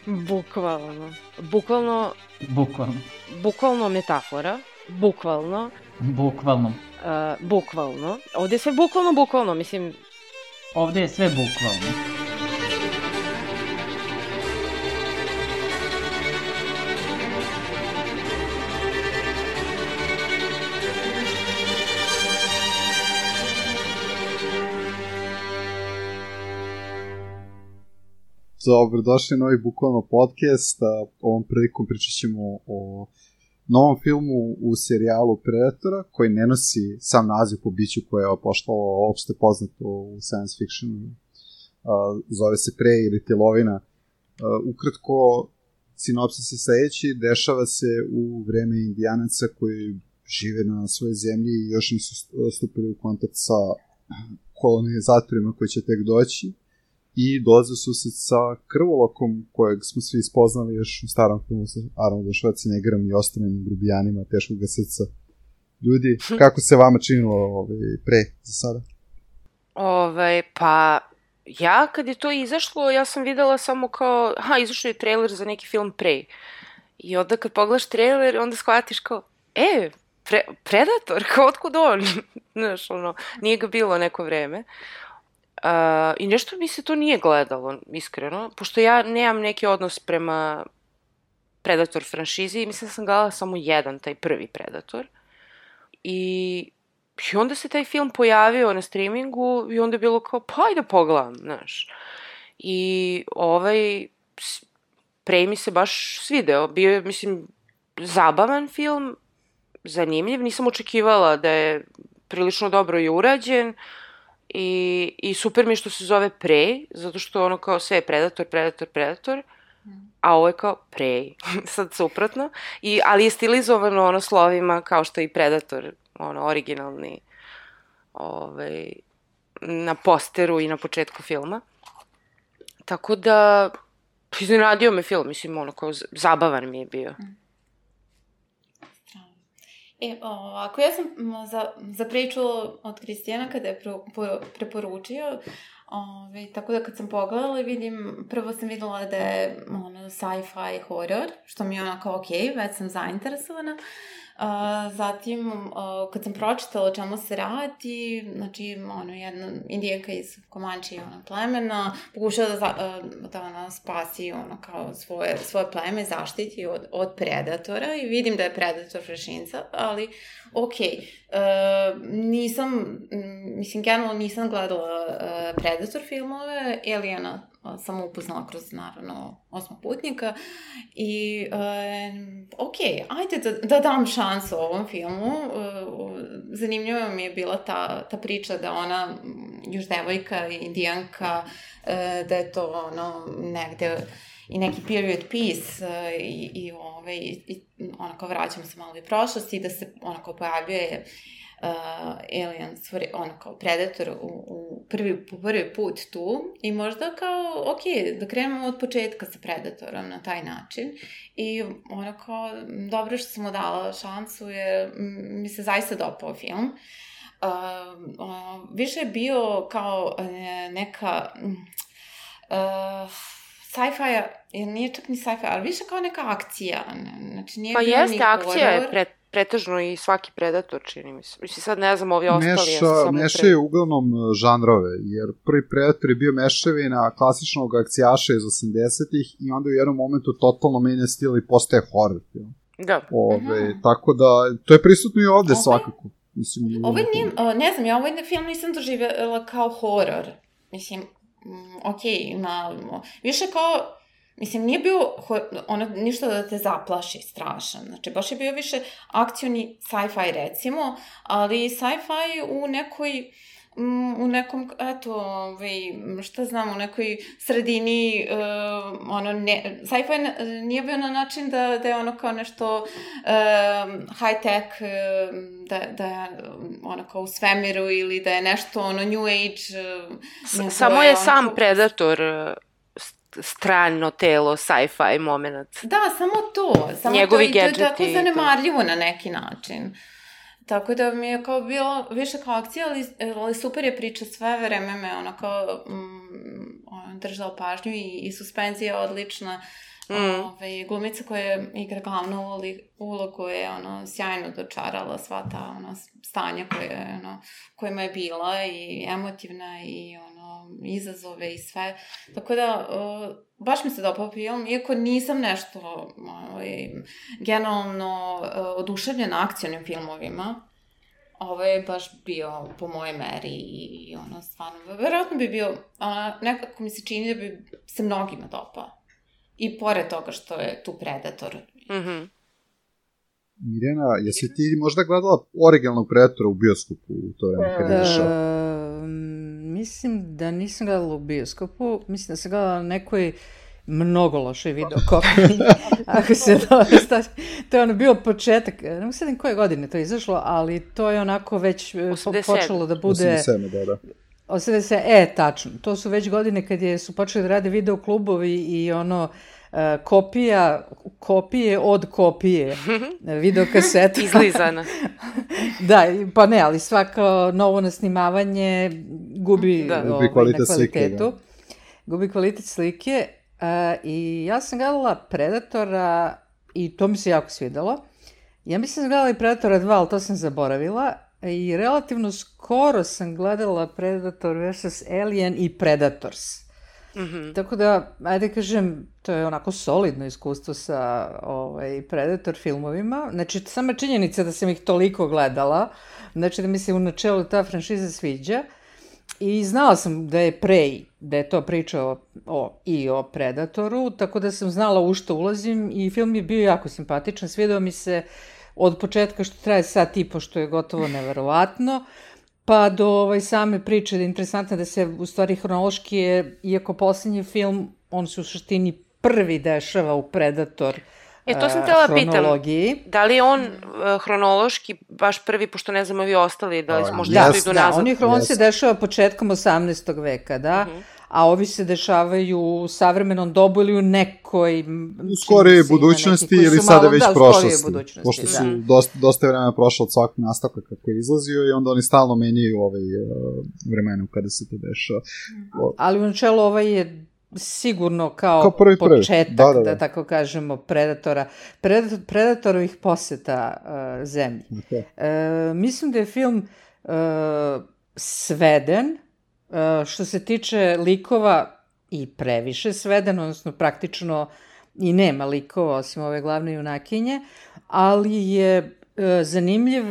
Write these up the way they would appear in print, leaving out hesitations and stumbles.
Bukvalno. Bukvalno metafora. Bukvalno. Bukvalno. Ovde je sve bukvalno, mislim... Ovde je sve bukvalno. Dobrodošli na novi bukvalno podcast. Ovom prilikom pričat ćemo o novom filmu u serijalu Predatora, koji ne nosi sam naziv po biću koje je postalo opšte poznato u science fictionu. Zove se Prey ili Tilovina. Ukratko, sinopsis je sledeći: dešava se u vreme Indijanaca koji žive na svojoj zemlji i još nisu stupili u kontakt sa kolonizatorima koji će tek doći. I dolaze u susret sa krvolokom kojeg smo svi spoznali još u starom filmu sa Arnoldom Schwarzeneggerom i ostalim grubijanima teškog srca. Ljudi, kako se vama činilo pre za sada? Pa ja kad je to izašlo, ja sam videla samo kao, izašao je trailer za neki film Prey. I onda kad pogledaš trailer, onda shvatiš kao, Predator, kao otkud on? Znaš, nije ga bilo neko vreme. I nešto mi se to nije gledalo, iskreno, pošto ja nemam neki odnos prema Predator franšizi, mislim da sam gledala samo jedan, taj prvi Predator. I onda se taj film pojavio na streamingu i onda je bilo kao, pa ajde pogledam, znaš. I Prey mi se baš svideo, bio je, mislim, zabavan film, zanimljiv, nisam očekivala da je prilično dobro i urađen. I super mi je što se zove Prey, zato što ono kao sve je Predator, a ovo je kao Prey, sad suprotno, ali je stilizovano slovima kao što je i Predator, originalni, na posteru i na početku filma. Tako da, iznenadio me film, mislim, kao zabavan mi je bio. Ako ja sam za priču od Kristijana kada je preporučio, tako da kad sam pogledala vidim, prvo sam videla da je sci-fi horror, što mi je onako već sam zainteresovana. Zatim, kad sam pročitala o čemu se radi, znači, jedna indijanka iz Komanči plemena pokušava da spasi kao svoje pleme, zaštiti od Predatora i vidim da je Predator franšiza, ali generalno nisam gledala Predator filmove, Aliena sam upoznala kroz, naravno, Osmoputnika i ajde da dam šansu ovom filmu. Zanimljiva mi je bila ta priča da ona još devojka, indijanka, da je to negde i neki period piece i onako vraćam se malo u prošlost i da se onako pojavljuje Alien, kao Predator po prvi put tu i možda kao, da krenemo od početka sa Predatorom na taj način i onako dobro što sam mu dala šansu jer mi se zaista dopao film. Više je bio kao neka sci-fi, nije čak ni sci-fi, ali više kao neka akcija. Znači, nije bio jeste, akcija je pretežno i svaki Predator, čini mi se. Mislim, sad ne znam, ovi ostali... Mešaju uglavnom žanrove, jer prvi Predator je bio mešavina klasičnog akcijaša iz 80-ih i onda u jednom momentu totalno menja stil i postaje horror film. Da. Tako da, to je prisutno i ovde svakako. Ovo nije, ne znam, ja ovaj film nisam doživjela kao horror. Mislim, više kao... Mislim, nije bio ništa da te zaplaši strašan. Znači, baš je bio više akcioni sci-fi, recimo, ali sci-fi u nekom, šta znam, u nekoj sredini, sci-fi nije bio na način da je ono kao nešto high-tech, da je ono kao u svemiru ili da je nešto New Age. Samo je sam Predator strano telo, sci-fi moment. Da, samo to. Njegovi gadgeti. To je tako zanemarljivo na neki način. Tako da mi je kao bilo više kao akcija, ali super je priča, sve vreme me držala pažnju i suspenzija je odlična. Glumica koja igra glavnu ulogu je sjajno dočarala sva ta stanja kojima je bila i emotivna i izazove i sve. Tako da, baš mi se dopao film, iako nisam nešto generalno oduševljena akcionim filmovima, ovo je baš bio po moje meri i stvarno, verovatno bi bio, nekako mi se čini da bi se mnogima dopao. I pored toga što je tu Predator. Mirjana, jesi ti možda gledala originalnog Predatora u bioskopu u to vreme kad je išao? Mislim da nisam gledala u bioskopu, mislim da sam gledala na nekoj mnogo lošoj videokopiji. Ako se to je bio početak, ne mogu sedim koje godine to izašlo, ali to je onako već počelo da bude... 87, da. 87, tačno. To su već godine kad su počeli da rade videoklubovi i kopije od kopije videokaseta. Izlizana. Da, pa ne, ali svako novo nasnimavanje gubi na kvalitetu. Gubi kvalitet slike. I ja sam gledala Predatora i to mi se jako svidelo. Ja mislim da sam gledala i Predatora 2, ali to sam zaboravila. I relativno skoro sam gledala Predator vs. Alien i Predators. Tako da, ajde kažem, to je onako solidno iskustvo sa Predator filmovima. Znači, sama činjenica da sam ih toliko gledala, znači da mi se u načelu ta franšiza sviđa. I znala sam da je Prey, da je to priča i o Predatoru, tako da sam znala u što ulazim i film je bio jako simpatičan. Svidao mi se od početka što traje sat i po, što je gotovo neverovatno, pa do same priče da je interesantno da se u stvari hronološki je, iako poslednji film, on se u suštini prvi dešava u Predator to sam htjela hronologiji. Pitam, da li je on hronološki baš prvi, pošto ne znamo vi ostali, da li možda idu nazad? On se dešava početkom 18. veka, da, a ovi se dešavaju u savremenom dobu ili u nekoj... U skorije budućnosti ili sada već prošlosti. Pošto su dosta vremena prošlo od svakog nastavka kako je izlazio i onda oni stalno menjaju vremenu kada se to dešava. Ali u načelu je sigurno kao početak, da tako kažemo, Predatorovih poseta zemlji. Mislim da je film sveden, što se tiče likova i previše sveden, odnosno praktično i nema likova osim ove glavne junakinje, ali je zanimljiv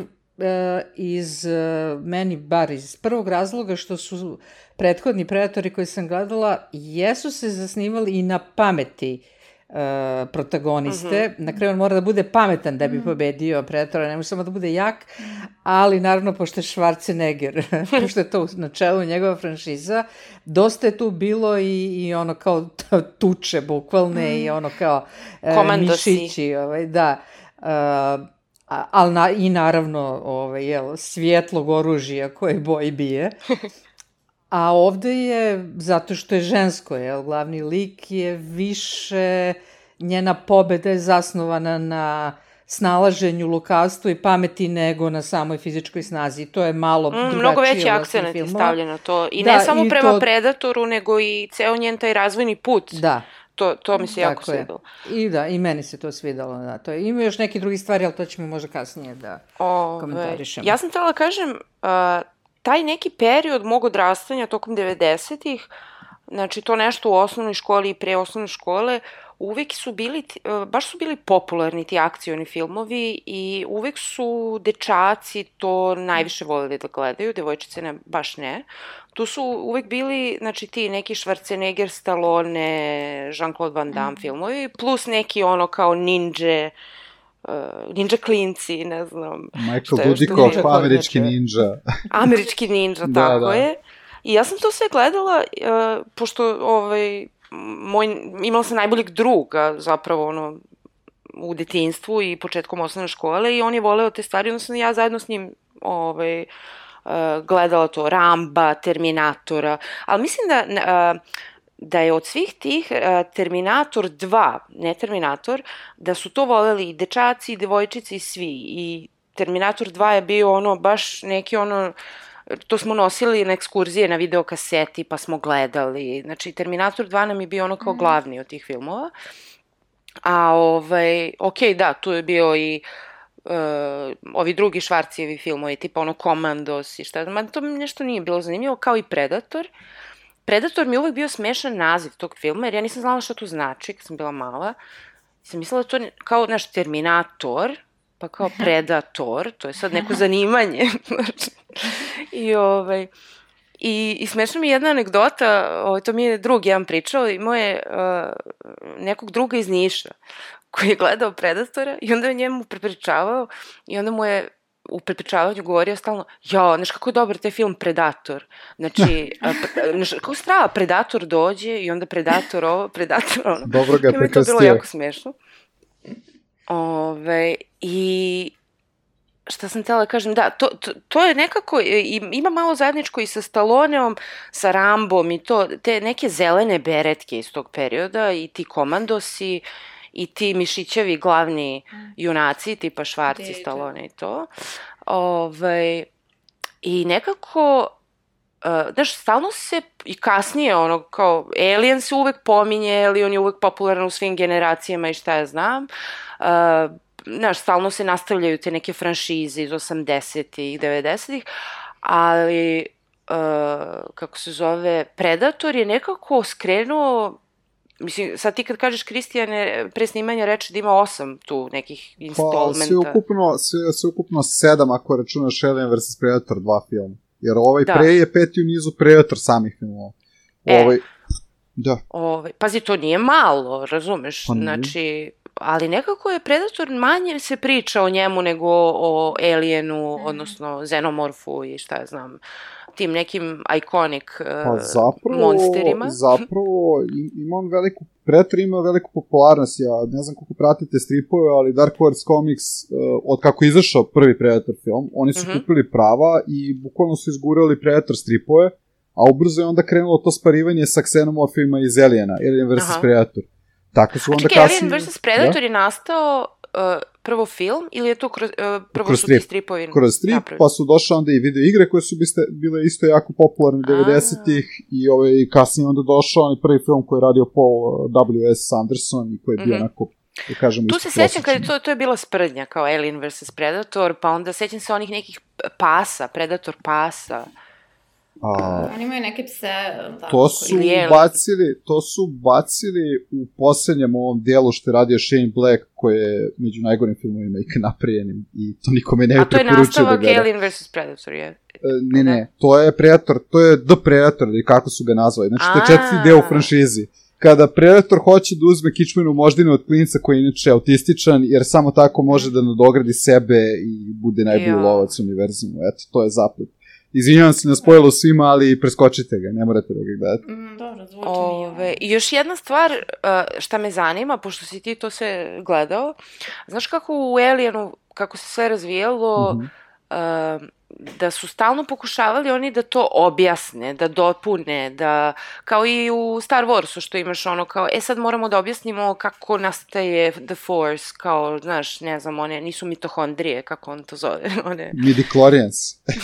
meni bar iz prvog razloga što su prethodni Predatori koji sam gledala jesu se zasnivali i na pameti protagoniste. Na kraju on mora da bude pametan da bi pobedio Predatora, ne može samo da bude jak, ali naravno pošto je Schwarzenegger, pošto je to na čelu njegova franšiza, dosta je tu bilo i kao tuče bukvalne i kao mišići, da. Ali i naravno svjetlog oružja koje boji bije. A ovde je, zato što je žensko, glavni lik je više, njena pobeda je zasnovana na snalaženju, lukavstvu i pameti nego na samoj fizičkoj snazi. To je malo drugačije. Mnogo veći akcenat je stavljen na to. I ne samo prema Predatoru, nego i ceo njen taj razvojni put. Da. To mi se jako svidalo. I meni se to svidalo. Ima još neke drugi stvari, ali to ćemo možda kasnije da komentarišemo. Ja sam htjela kažem, taj neki period mog odrastanja tokom 90-ih, znači to nešto u osnovnoj školi i pre osnovne škole, uvek su bili, baš su bili popularni ti akcioni filmovi i uvek su dečaci to najviše voljeli da gledaju, devojčice baš ne. Tu su uvek bili, znači ti neki Schwarzenegger, Stallone, Jean-Claude Van Damme filmovi, plus neki kao ninja klinci, ne znam. Michael Dudikoff, američki ninja. Američki ninja, tako je. I ja sam to sve gledala, pošto imala sam najboljeg druga zapravo u detinjstvu i početkom osnovne škole i on je voleo te stvari, onda sam ja zajedno s njim gledala to, Ramba, Terminatora, ali mislim da je od svih tih Terminator 2, ne Terminator, da su to voleli i dečaci, i devojčice i svi. I Terminator 2 je bio baš neki to smo nosili na ekskurzije na videokaseti pa smo gledali. Znači Terminator 2 nam je bio kao glavni od tih filmova. da, tu je bio i ovi drugi Švarcijevi filmovi, tipa ono Komandos i šta, ma to mi nešto nije bilo zanimljivo, kao i Predator. Predator mi je uvek bio smešan naziv tog filma, jer ja nisam znala šta to znači kad sam bila mala. Sam mislila da to kao naš Terminator, pa kao Predator, to je sad neko zanimanje. I smešna mi je jedna anegdota, to mi je drug jedan pričao, imao je nekog druga iz Niša koji je gledao Predatora i onda je njemu prepričavao i onda mu je u prepričavanju govorio stalno, znaš kako je dobar taj film Predator. Znači, kako strava, Predator dođe i onda Predator ovo, Predator ono. Dobro ga je prekrstio. To je bilo jako smešno. I šta sam htjela da kažem, da, to je nekako, ima malo zajedničko i sa Stalloneom, sa Rambom i to, te neke zelene beretke iz tog perioda i ti Komandosi i ti mišićevi glavni junaci, tipa Švarci, Stallone i to. I nekako, znaš, stalno se i kasnije, ono, kao, Alien se uvek pominje, Alien je uvek popularan u svim generacijama i šta ja znam. Znaš, stalno se nastavljaju te neke franšize iz 80-ih, 90-ih, ali, kako se zove, Predator je nekako skrenuo. Mislim, sad ti kad kažeš Kristijane, pre snimanja reče da ima 8 tu nekih installmenta. Sve ukupno 7 ako računaš Alien vs. Predator 2 film. Jer pre je 5. u nizu Predator samih filmova. Da. Pazi, to nije malo, razumeš? Znači, ali nekako je Predator manje se priča o njemu nego o Alienu, odnosno Xenomorfu i šta ja znam, tim nekim iconic monsterima. Zapravo, Predator ima veliku popularnost, ja ne znam koliko pratite stripove, ali Dark Horse Comics, od kako je izašao prvi Predator film, oni su kupili prava i bukvalno su izgurali Predator stripove, a ubrzo je onda krenulo to sparivanje sa Xenomorfima iz Aliena, Alien vs. Predator. Tako su onda kasnije... Alien vs. Predator je nastao prvo film ili je to prvo su ti stripovi? Kroz strip, pa su došle onda i video igre koje su bile isto jako popularne 90-ih i kasnije onda došao onaj prvi film koji je radio Paul W.S. Anderson i koji je bio onako, da kažemo, tu se sećam kad to je bila sprdnja kao Alien vs. Predator, pa onda sećam se onih nekih pasa, Predator pasa. Oni imaju neke pse. To su bacili u poslednjem ovom delu što je radio Shane Black, koji je među najgorim filmovima ikad napravljenim i to nikome ne preporučio da gleda. A to je nastavak Alien vs. Predator, je? Ne, to je Predator, to je The Predator, ili kako su ga nazvali. Znači, to je 4. deo u franšizi. Kada Predator hoće da uzme kičmenu moždinu od klinca koji je inače autističan, jer samo tako može da nadogradi sebe i bude najbolji lovac univerzumu. Eto, to je zaplet. Izvinjavam se na spojilo svima, ali preskočite ga, ne morate da ga gledate. Dobro, zvuči mi. I još jedna stvar šta me zanima, pošto si ti to sve gledao, znaš kako u Alienu, kako se sve razvijalo, da su stalno pokušavali oni da to objasne, da dopune, da, kao i u Star Warsu što imaš ono kao, sad moramo da objasnimo kako nastaje The Force, kao, znaš, ne znam, one nisu mitohondrije, kako on to zove, one... Midichlorians.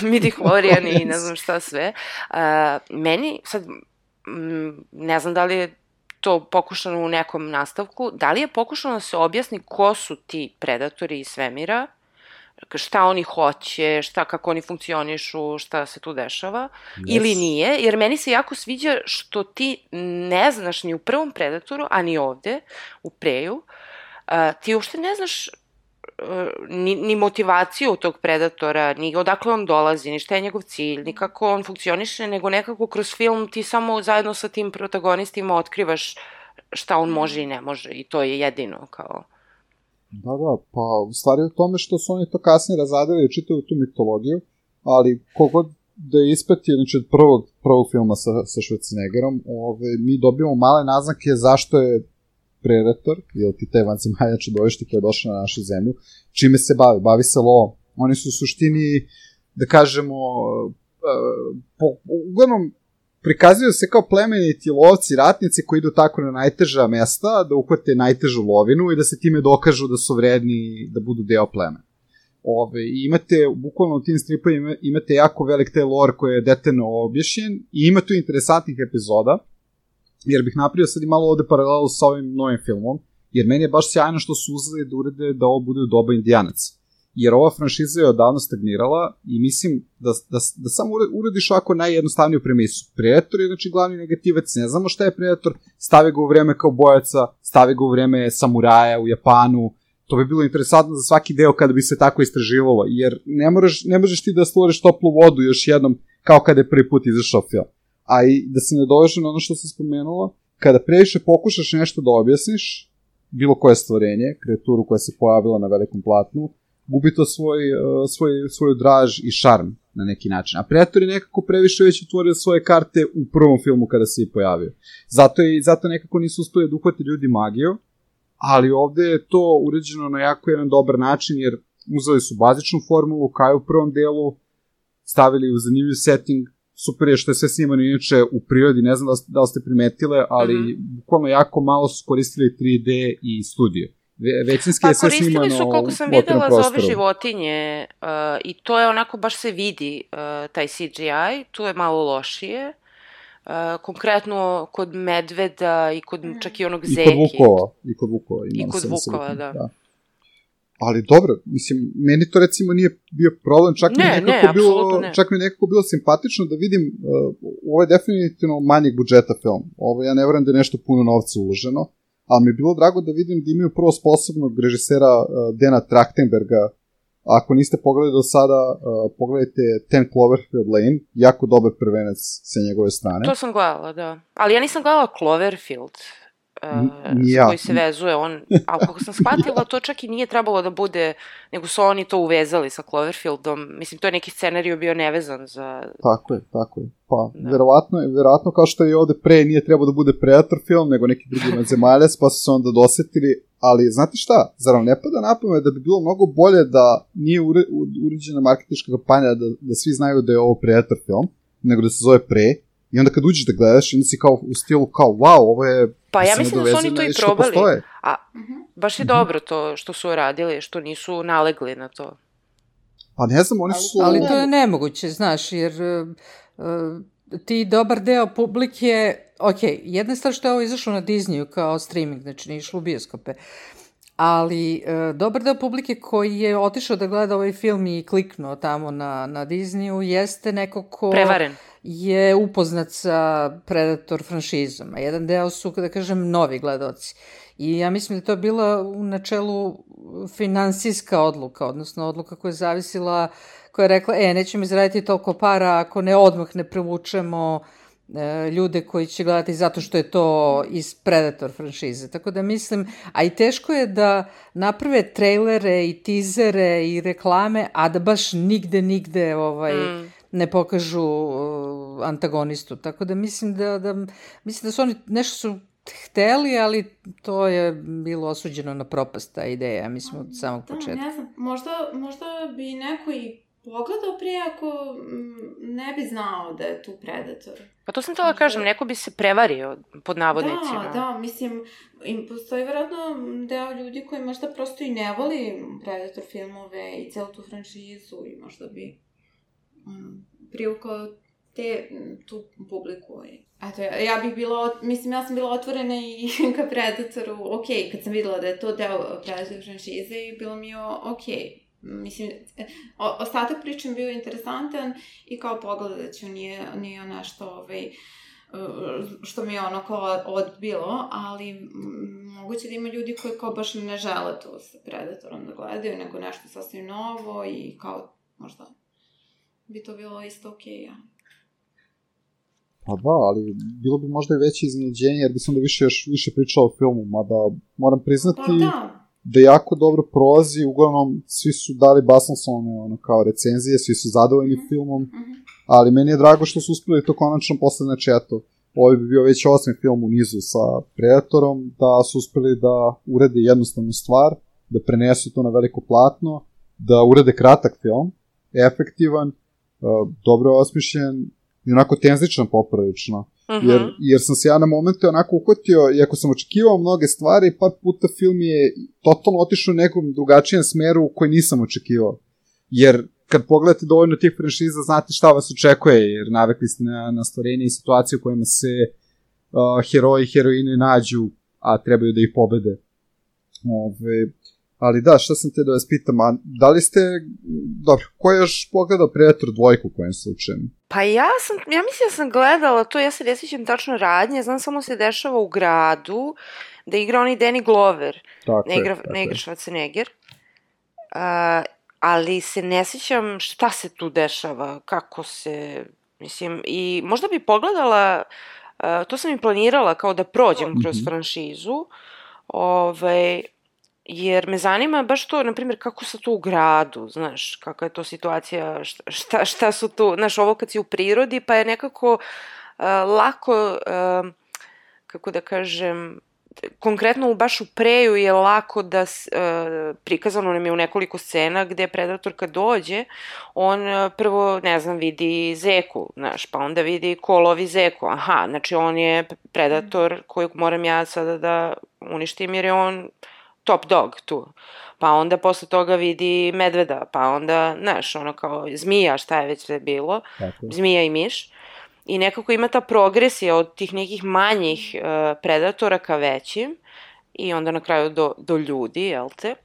Midichloriani i ne znam šta sve. Meni, sad, ne znam da li je to pokušano u nekom nastavku, da li je pokušano da se objasni ko su ti predatori iz svemira, šta oni hoće, kako oni funkcionišu, šta se tu dešava, ili nije, jer meni se jako sviđa što ti ne znaš ni u prvom Predatoru, a ni ovde, u Preju, ti uopšte ne znaš ni motivaciju tog Predatora, ni odakle on dolazi, ni šta je njegov cilj, ni kako on funkcioniše, nego nekako kroz film ti samo zajedno sa tim protagonistima otkrivaš šta on može i ne može, i to je jedino kao... Da, pa u stvari u tome što su oni to kasnije razadili i čitaju tu mitologiju, ali kogod da je ispratio, znači od prvog filma sa Schwarzeneggerom, mi dobijemo male naznake zašto je Predator, ili ti te vanzemaljne čudovište koje je došlo na našu zemlju, čime se bavi se lovom. Oni su u suštini, da kažemo, uglavnom prikazuju se kao plemeniti lovci, ratnici koji idu tako na najteža mesta, da uhvate najtežu lovinu i da se time dokažu da su vredni da budu deo plemena. I imate, bukvalno u tim stripovima, imate jako velik te lore koji je detaljno objašnjen i ima tu interesantnih epizoda, jer bih napravio sad i malo ovde paralelu sa ovim novim filmom, jer meni je baš sjajno što su uzeli da urede da ovo bude u doba Indijanaca. Jer ova franšiza je odavno stagnirala i mislim da samo urediš ovako najjednostavniju premisu. Predator je znači glavni negativac, ne znamo šta je Predator, stavi ga u vreme kao bojaca, stavi ga u vreme samuraja u Japanu, to bi bilo interesantno za svaki deo kada bi se tako istraživalo, jer ne možeš ti da stvoriš toplu vodu još jednom kao kada je prvi put izašao film. A i da se ne doveže na ono što se spomenulo, kada previše pokušaš nešto da objasniš, bilo koje stvorenje, kreaturu koja se pojavila na velikom platnu, gubi to svoju draž i šarm na neki način. A Predator je nekako previše već otvorio svoje karte u prvom filmu kada se i pojavio. Zato nekako nisu uspeli da uhvati ljudi magiju, ali ovde je to uređeno na jako jedan dobar način, jer uzeli su bazičnu formulu, kao u prvom delu, stavili u zanimljiv setting, super je što je sve snimano inače u prirodi, ne znam da li ste primetile, ali bukvalno jako malo su koristili 3D i studio. Većinski je sve snimano u otvorenom prostoru. Pa koristili su, koliko sam videla, za ove životinje i to je onako, baš se vidi taj CGI, tu je malo lošije. Konkretno kod medveda i kod čak i onog zeki. I kod vukova. I kod vukova, da. Ali dobro, mislim, meni to recimo nije bio problem, čak mi nekako bilo simpatično da vidim, ovo je definitivno manjeg budžeta film, ovo ja ne verujem da je nešto puno novca uloženo, ali mi je bilo drago da vidim da imaju prvo sposobnog režisera Dana Trachtenberga. Ako niste pogledali do sada, pogledajte 10 Cloverfield Lane, jako dobar prvenac sa njegove strane. To sam gledala, da. Ali ja nisam gledala Cloverfield, koji se vezuje on, ali kako sam shvatila, to čak i nije trebalo da bude, nego su oni to uvezali sa Cloverfieldom. Mislim, to je neki scenariju bio nevezan za... Tako je. Pa, verovatno kao što je ovde pre nije trebalo da bude Predator film, nego neki drugi zemaljac, pa su se onda dosetili. Ali, znate šta, zar vam ne pada na pamet da bi bilo mnogo bolje da nije uređena marketinška kampanja, da svi znaju da je ovo Predator film, nego da se zove Pre, i onda kad uđeš da gledaš, onda si kao u stilu kao, wow, ovo je... Pa ja mislim da su oni to i probali. A baš je dobro to što su uradili, što nisu nalegli na to. Pa ne znam, oni su... Ali to je nemoguće, znaš, jer ti dobar deo publike... Ok, jedna stvar što je ovo izašlo na Disneyu kao streaming, znači nije išlo u bioskope, ali dobar deo publike koji je otišao da gleda ovaj film i kliknuo tamo na Disneyu jeste neko ko... Prevaren. Je upoznat sa Predator franšizom, a jedan deo su, da kažem, novi gledaoci. I ja mislim da to je bila u načelu finansijska odluka, odnosno odluka koja je zavisila, koja je rekla, nećemo izraditi toliko para ako ne odmah ne privučemo ljude koji će gledati zato što je to iz Predator franšize. Tako da mislim, a i teško je da naprave trejlere i tizere i reklame, a da baš nigde ne pokažu antagonistu. Tako da mislim da su oni nešto su hteli, ali to je bilo osuđeno na propast, ta ideja, mislim, od samog početka. Ne znam, možda bi neko i pogledao prije ako ne bi znao da je tu Predator. Pa to sam htjela kažem, neko bi se prevario pod navodnicima. Da, mislim, postoji vjerojatno deo ljudi koji možda prosto i ne voli Predator filmove i celu tu franšizu i možda bi privukao tu publiku. Eto, ja sam bila otvorena i ka Predatoru, kad sam videla da je to deo Predator franšize i bilo mi je mislim, ostatak pričam bio interesantan i kao pogledat ću, nije nešto što mi je ono kao odbilo, ali moguće da ima ljudi koji kao baš ne žele to sa Predatorom da gledaju, nego nešto sasvim novo i kao možda bi to bilo isto ja. Pa da, ali bilo bi možda i veće iznenađenje, jer bi sam da više pričao o filmu, mada moram priznati da jako dobro prolazi, uglavnom svi su dali basnoslovne kao recenzije, svi su zadovoljni filmom, ali meni je drago što su uspeli to konačno posle, znači eto, ovo bi bio već 8. film u nizu sa Predatorom, da su uspeli da urede jednostavnu stvar, da prenesu to na veliko platno, da urede kratak film, efektivan, dobro osmišljen i onako tenzičan poprilično. Jer sam se ja na momente onako uhvatio, iako sam očekivao mnoge stvari, par puta film je totalno otišao u nekom drugačijem smeru koji nisam očekivao. Jer kad pogledate dovoljno tih franšiza, znate šta vas očekuje, jer navikli ste na stvorenje i situacije u kojima se heroji i heroine nađu, a trebaju da ih pobede. Ali da, šta sam te da vas pitam, a da li ste, dobro, ko je još pogledao Predator 2 u kojem slučaju? Pa ja mislim da sam gledala to, ja se ne sjećam tačno radnje, znam samo se dešava u gradu, da igra onaj Danny Glover, ne igra Schwarzenegger, ali se ne sjećam šta se tu dešava, kako se, mislim, i možda bi pogledala, to sam i planirala kao da prođem kroz franšizu, jer me zanima baš to, na primjer, kako se to u gradu, znaš, kakva je to situacija, šta su tu, znaš, ovo kad si u prirodi, pa je nekako lako, kako da kažem, konkretno baš u Preju je lako da, prikazano nam je u nekoliko scena gde Predator kad dođe, on prvo, ne znam, vidi zeku, znaš, pa onda vidi ko lovi zeku, aha, znači on je Predator kojeg moram ja sada da uništim jer je on top dog tu. Pa onda posle toga vidi medveda, pa onda, znaš, ono kao zmija, šta je već sve bilo, zmija i miš. I nekako ima ta progresija od tih nekih manjih predatora ka većim i onda na kraju do ljudi, jel te?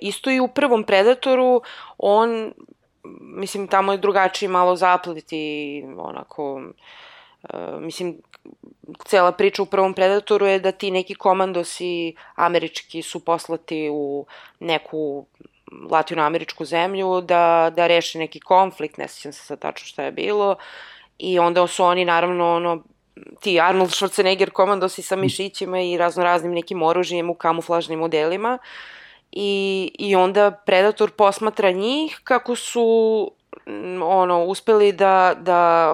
Isto i u prvom Predatoru, on, mislim, tamo je drugačiji malo zaplet i onako, mislim, cela priča u prvom Predatoru je da ti neki komandosi američki su poslati u neku latinoameričku zemlju da reše neki konflikt, ne sjećam se sad tačno šta je bilo, i onda su oni naravno ti Arnold Schwarzenegger komandosi sa mišićima i raznoraznim nekim oružjem u kamuflažnim modelima i onda Predator posmatra njih kako su uspeli da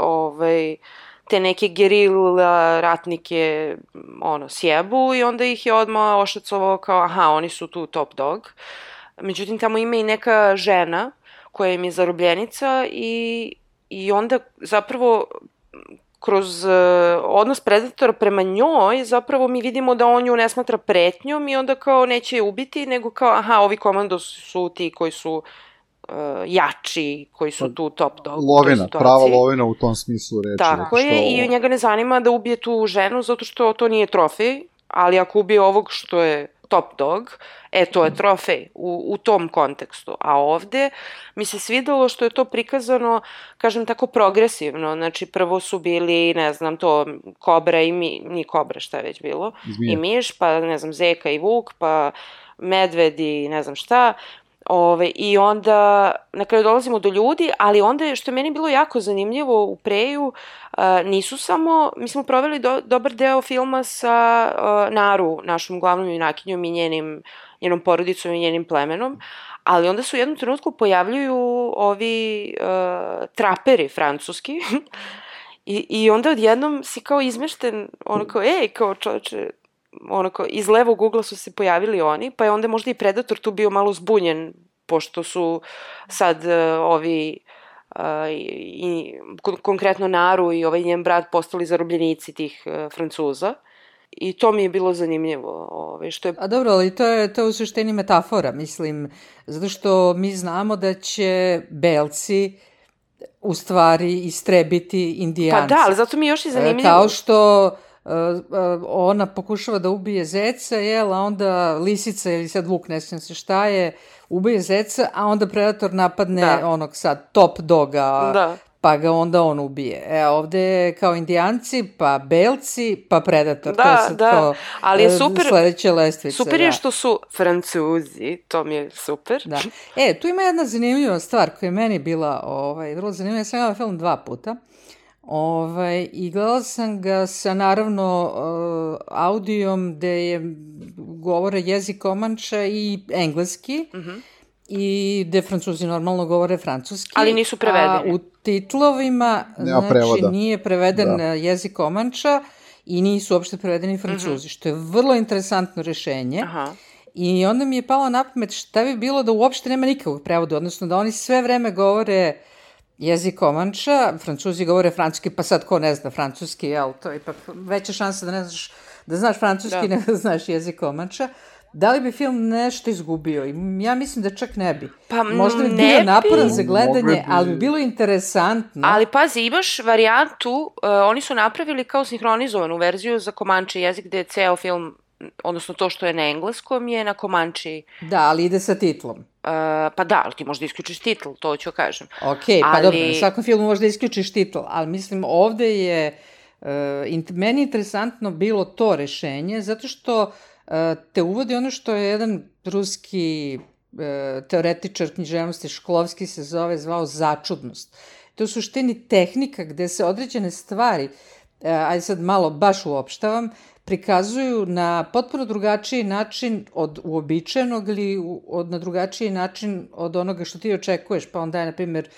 te neke gerila ratnike sjebu i onda ih je odmah ošacovao kao aha, oni su tu top dog. Međutim, tamo ima i neka žena koja im je zarobljenica i onda zapravo kroz odnos Predatora prema njoj zapravo mi vidimo da on nju ne smatra pretnjom i onda kao neće je ubiti, nego kao aha, ovi komandos su ti koji su jači, koji su tu top dog. Lovina, prava lovina u tom smislu reči. Tako je, i njega ne zanima da ubije tu ženu zato što to nije trofej, ali ako ubije ovog što je top dog, to je trofej u tom kontekstu. A ovde mi se svidelo što je to prikazano, kažem tako, progresivno. Znači, prvo su bili, ne znam, to kobra i nije kobra, šta je već bilo, i miš, pa, ne znam, zeka i vuk, pa medved i ne znam šta. I onda na kraju dolazimo do ljudi, ali onda što je meni bilo jako zanimljivo u Preju, nisu samo, mi smo proveli dobar deo filma sa Naru, našom glavnom junakinjom i njenom porodicom i njenim plemenom, ali onda se u jednom trenutku pojavljuju ovi traperi francuski i onda odjednom si kao izmešten, ono kao, kao čoveče, onako, iz levog ugla su se pojavili oni, pa je onda možda i Predator tu bio malo zbunjen, pošto su sad ovi, konkretno Naru i ovaj njen brat postali zarobljenici tih Francuza. I to mi je bilo zanimljivo. Što je... A dobro, ali to je u suštini metafora, mislim, zato što mi znamo da će belci u stvari istrebiti Indijanci. Pa da, ali zato mi je još i zanimljivo. Kao što ona pokušava da ubije zeca, a onda lisica ili sad vuk, ne sjećam se šta je, ubije zeca, a onda Predator napadne onog sad top doga, pa ga onda on ubije. Ovde je kao Indijanci, pa belci, pa Predator. To je sad kao ali je super, sledeća lestvica. Super je što su Francuzi, to mi je super. Da. Tu ima jedna zanimljiva stvar koja je meni bila vrlo zanimljiva. Ja sam gledala film 2 puta. I gledala sam ga sa naravno audijom gde je govore jezik Komanča i engleski i gde Francuzi normalno govore francuski. Ali nisu prevedeni. A u titlovima znači nije preveden jezik Komanča i nisu uopšte prevedeni Francuzi, što je vrlo interesantno rešenje. Aha. I onda mi je palo na pamet šta bi bilo da uopšte nema nikakvog prevoda, odnosno da oni sve vreme govore jezik Komanča, Francuzi govore francuski, pa sad ko ne zna francuski, to je ipak veća šansa da znaš francuski nego da znaš jezik Komanča. Da li bi film nešto izgubio? Ja mislim da čak ne bi. Pa možda bi bio naporan za gledanje, ali bi bilo interesantno. Ali pazi, imaš varijantu, oni su napravili kao sinhronizovanu verziju za Komanče jezik gde je ceo film odnosno to što je na engleskom je na Komanči. Da, ali ide sa titlom. Pa da, ali ti možda isključiš titl, to ću kažem. Ok, pa dobro, na svakom filmu možda isključiš titl, ali mislim ovde je meni interesantno bilo to rešenje, zato što te uvodi ono što je jedan ruski teoretičar književnosti Šklovski se zvao začudnost. To je u suštini tehnika gde se određene stvari, ajde sad malo baš uopštavam, prikazuju na potpuno drugačiji način od uobičajenog ili na drugačiji način od onoga što ti očekuješ. Pa onda je, na primjer,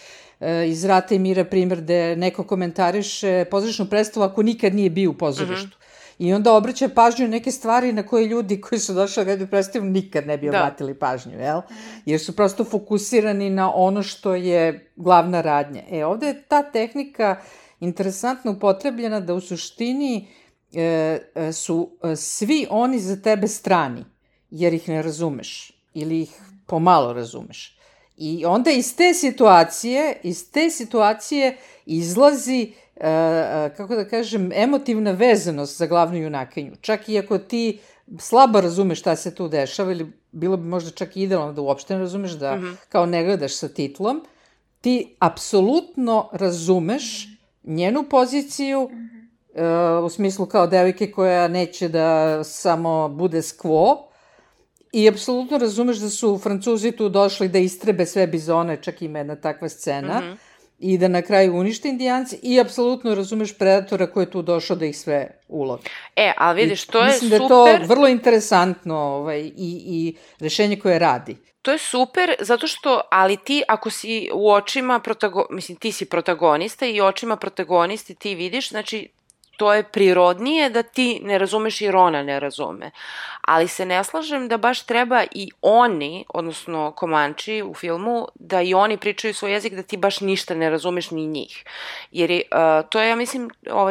iz Rata i mira primjer gde neko komentariše pozorišnu predstavu ako nikad nije bio u pozorištu. I onda obraća pažnju neke stvari na koje ljudi koji su došli da gledaju predstavu nikad ne bi obratili pažnju, jel? Jer su prosto fokusirani na ono što je glavna radnja. Ovde je ta tehnika interesantno upotrebljena da u suštini su svi oni za tebe strani, jer ih ne razumeš ili ih pomalo razumeš. I onda iz te situacije izlazi, kako da kažem, emotivna vezanost za glavnu junakinju. Čak i ako ti slabo razumeš šta se tu dešava, ili bilo bi možda čak idealno da uopšte ne razumeš, da kao ne gledaš sa titlom, ti apsolutno razumeš njenu poziciju, u smislu kao devojke koja neće da samo bude skvo, i apsolutno razumeš da su Francuzi tu došli da istrebe sve bizone, čak ima jedna takva scena, i da na kraju unište Indijanci, i apsolutno razumeš Predatora koji je tu došao da ih sve ulovi. Ali vidiš, to je super. Mislim da je to vrlo interesantno i rešenje koje radi. To je super, zato što, ali ti, ako si u očima, mislim, ti si protagonista i očima protagonisti ti vidiš, znači, to je prirodnije da ti ne razumeš jer ona ne razume. Ali se ne slažem da baš treba i oni, odnosno Komanči u filmu, da i oni pričaju svoj jezik, da ti baš ništa ne razumeš ni njih. Jer to je, ja mislim,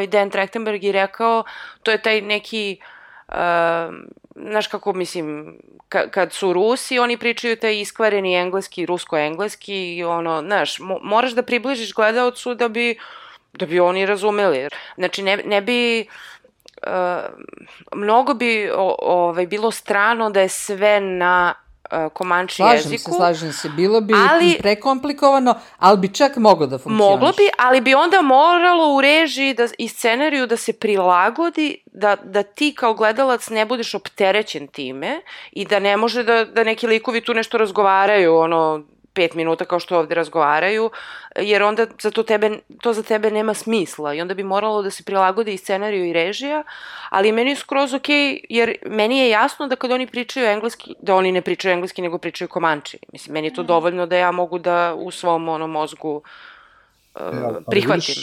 Dan Trachtenberg je rekao, to je taj neki, znaš kako, mislim, kad su Rusi, oni pričaju taj iskvareni engleski, rusko-engleski, i ono, znaš, moraš da približiš gledaocu da bi oni razumeli. Znači, ne bi, mnogo bi bilo strano da je sve na Komanči jeziku. Slažem se. Bilo bi prekomplikovano, ali bi čak moglo da funkcioniš. Moglo bi, ali bi onda moralo u režiji i scenariju da se prilagodi, da ti kao gledalac ne budeš opterećen time i da ne može da neki likovi tu nešto razgovaraju, 5 minuta kao što ovde razgovaraju, jer onda to za tebe nema smisla i onda bi moralo da se prilagodi i scenariju i režija, ali meni je skroz okej, jer meni je jasno da kad oni pričaju engleski, da oni ne pričaju engleski nego pričaju Komanči. Mislim, meni je to dovoljno da ja mogu da u svom mozgu prihvatim.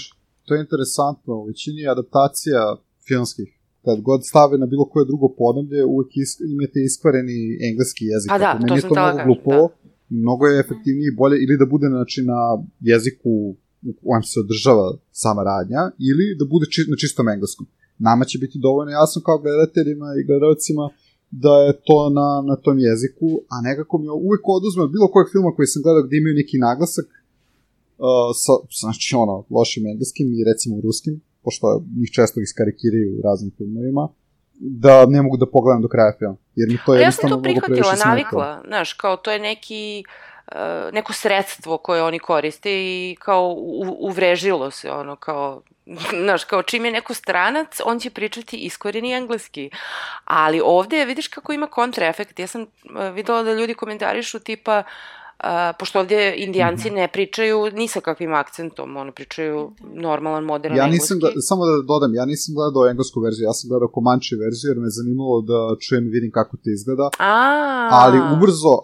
To je interesantno, u većini adaptacija filmskih, kad god stave na bilo koje drugo podneblje, uvek imate iskvareni engleski jezik. Pa da, to sam tala kažem, mnogo je efektivnije i bolje ili da bude na jeziku u kojem se održava sama radnja ili da bude na čistom engleskom. Nama će biti dovoljno jasno kao gledateljima i gledalcima da je to na tom jeziku, a nekako mi uvek oduzme od bilo kojeg filma koji sam gledao gde imaju neki naglasak znači lošim engleskim i recimo ruskim, pošto njih često iskarikiraju u raznim filmovima, da ne mogu da pogledam do kraja film. Jer mi to je jednostavno mnogo previše smeta. Ja sam to prihvatila, navikla, znaš, kao to je neko sredstvo koje oni koriste i kao uvrežilo se, kao, znaš, kao čim je neko stranac, on će pričati iskvareni engleski. Ali ovde vidiš kako ima kontraefekt. Ja sam videla da ljudi komentarišu tipa, pošto ovdje Indijanci ne pričaju ni sa kakvim akcentom, oni pričaju normalan, modern engleski. Samo da dodam, ja nisam gledao englesku verziju, ja sam gledao Komanči verziju, jer me zanimalo da čujem i vidim kako to izgleda.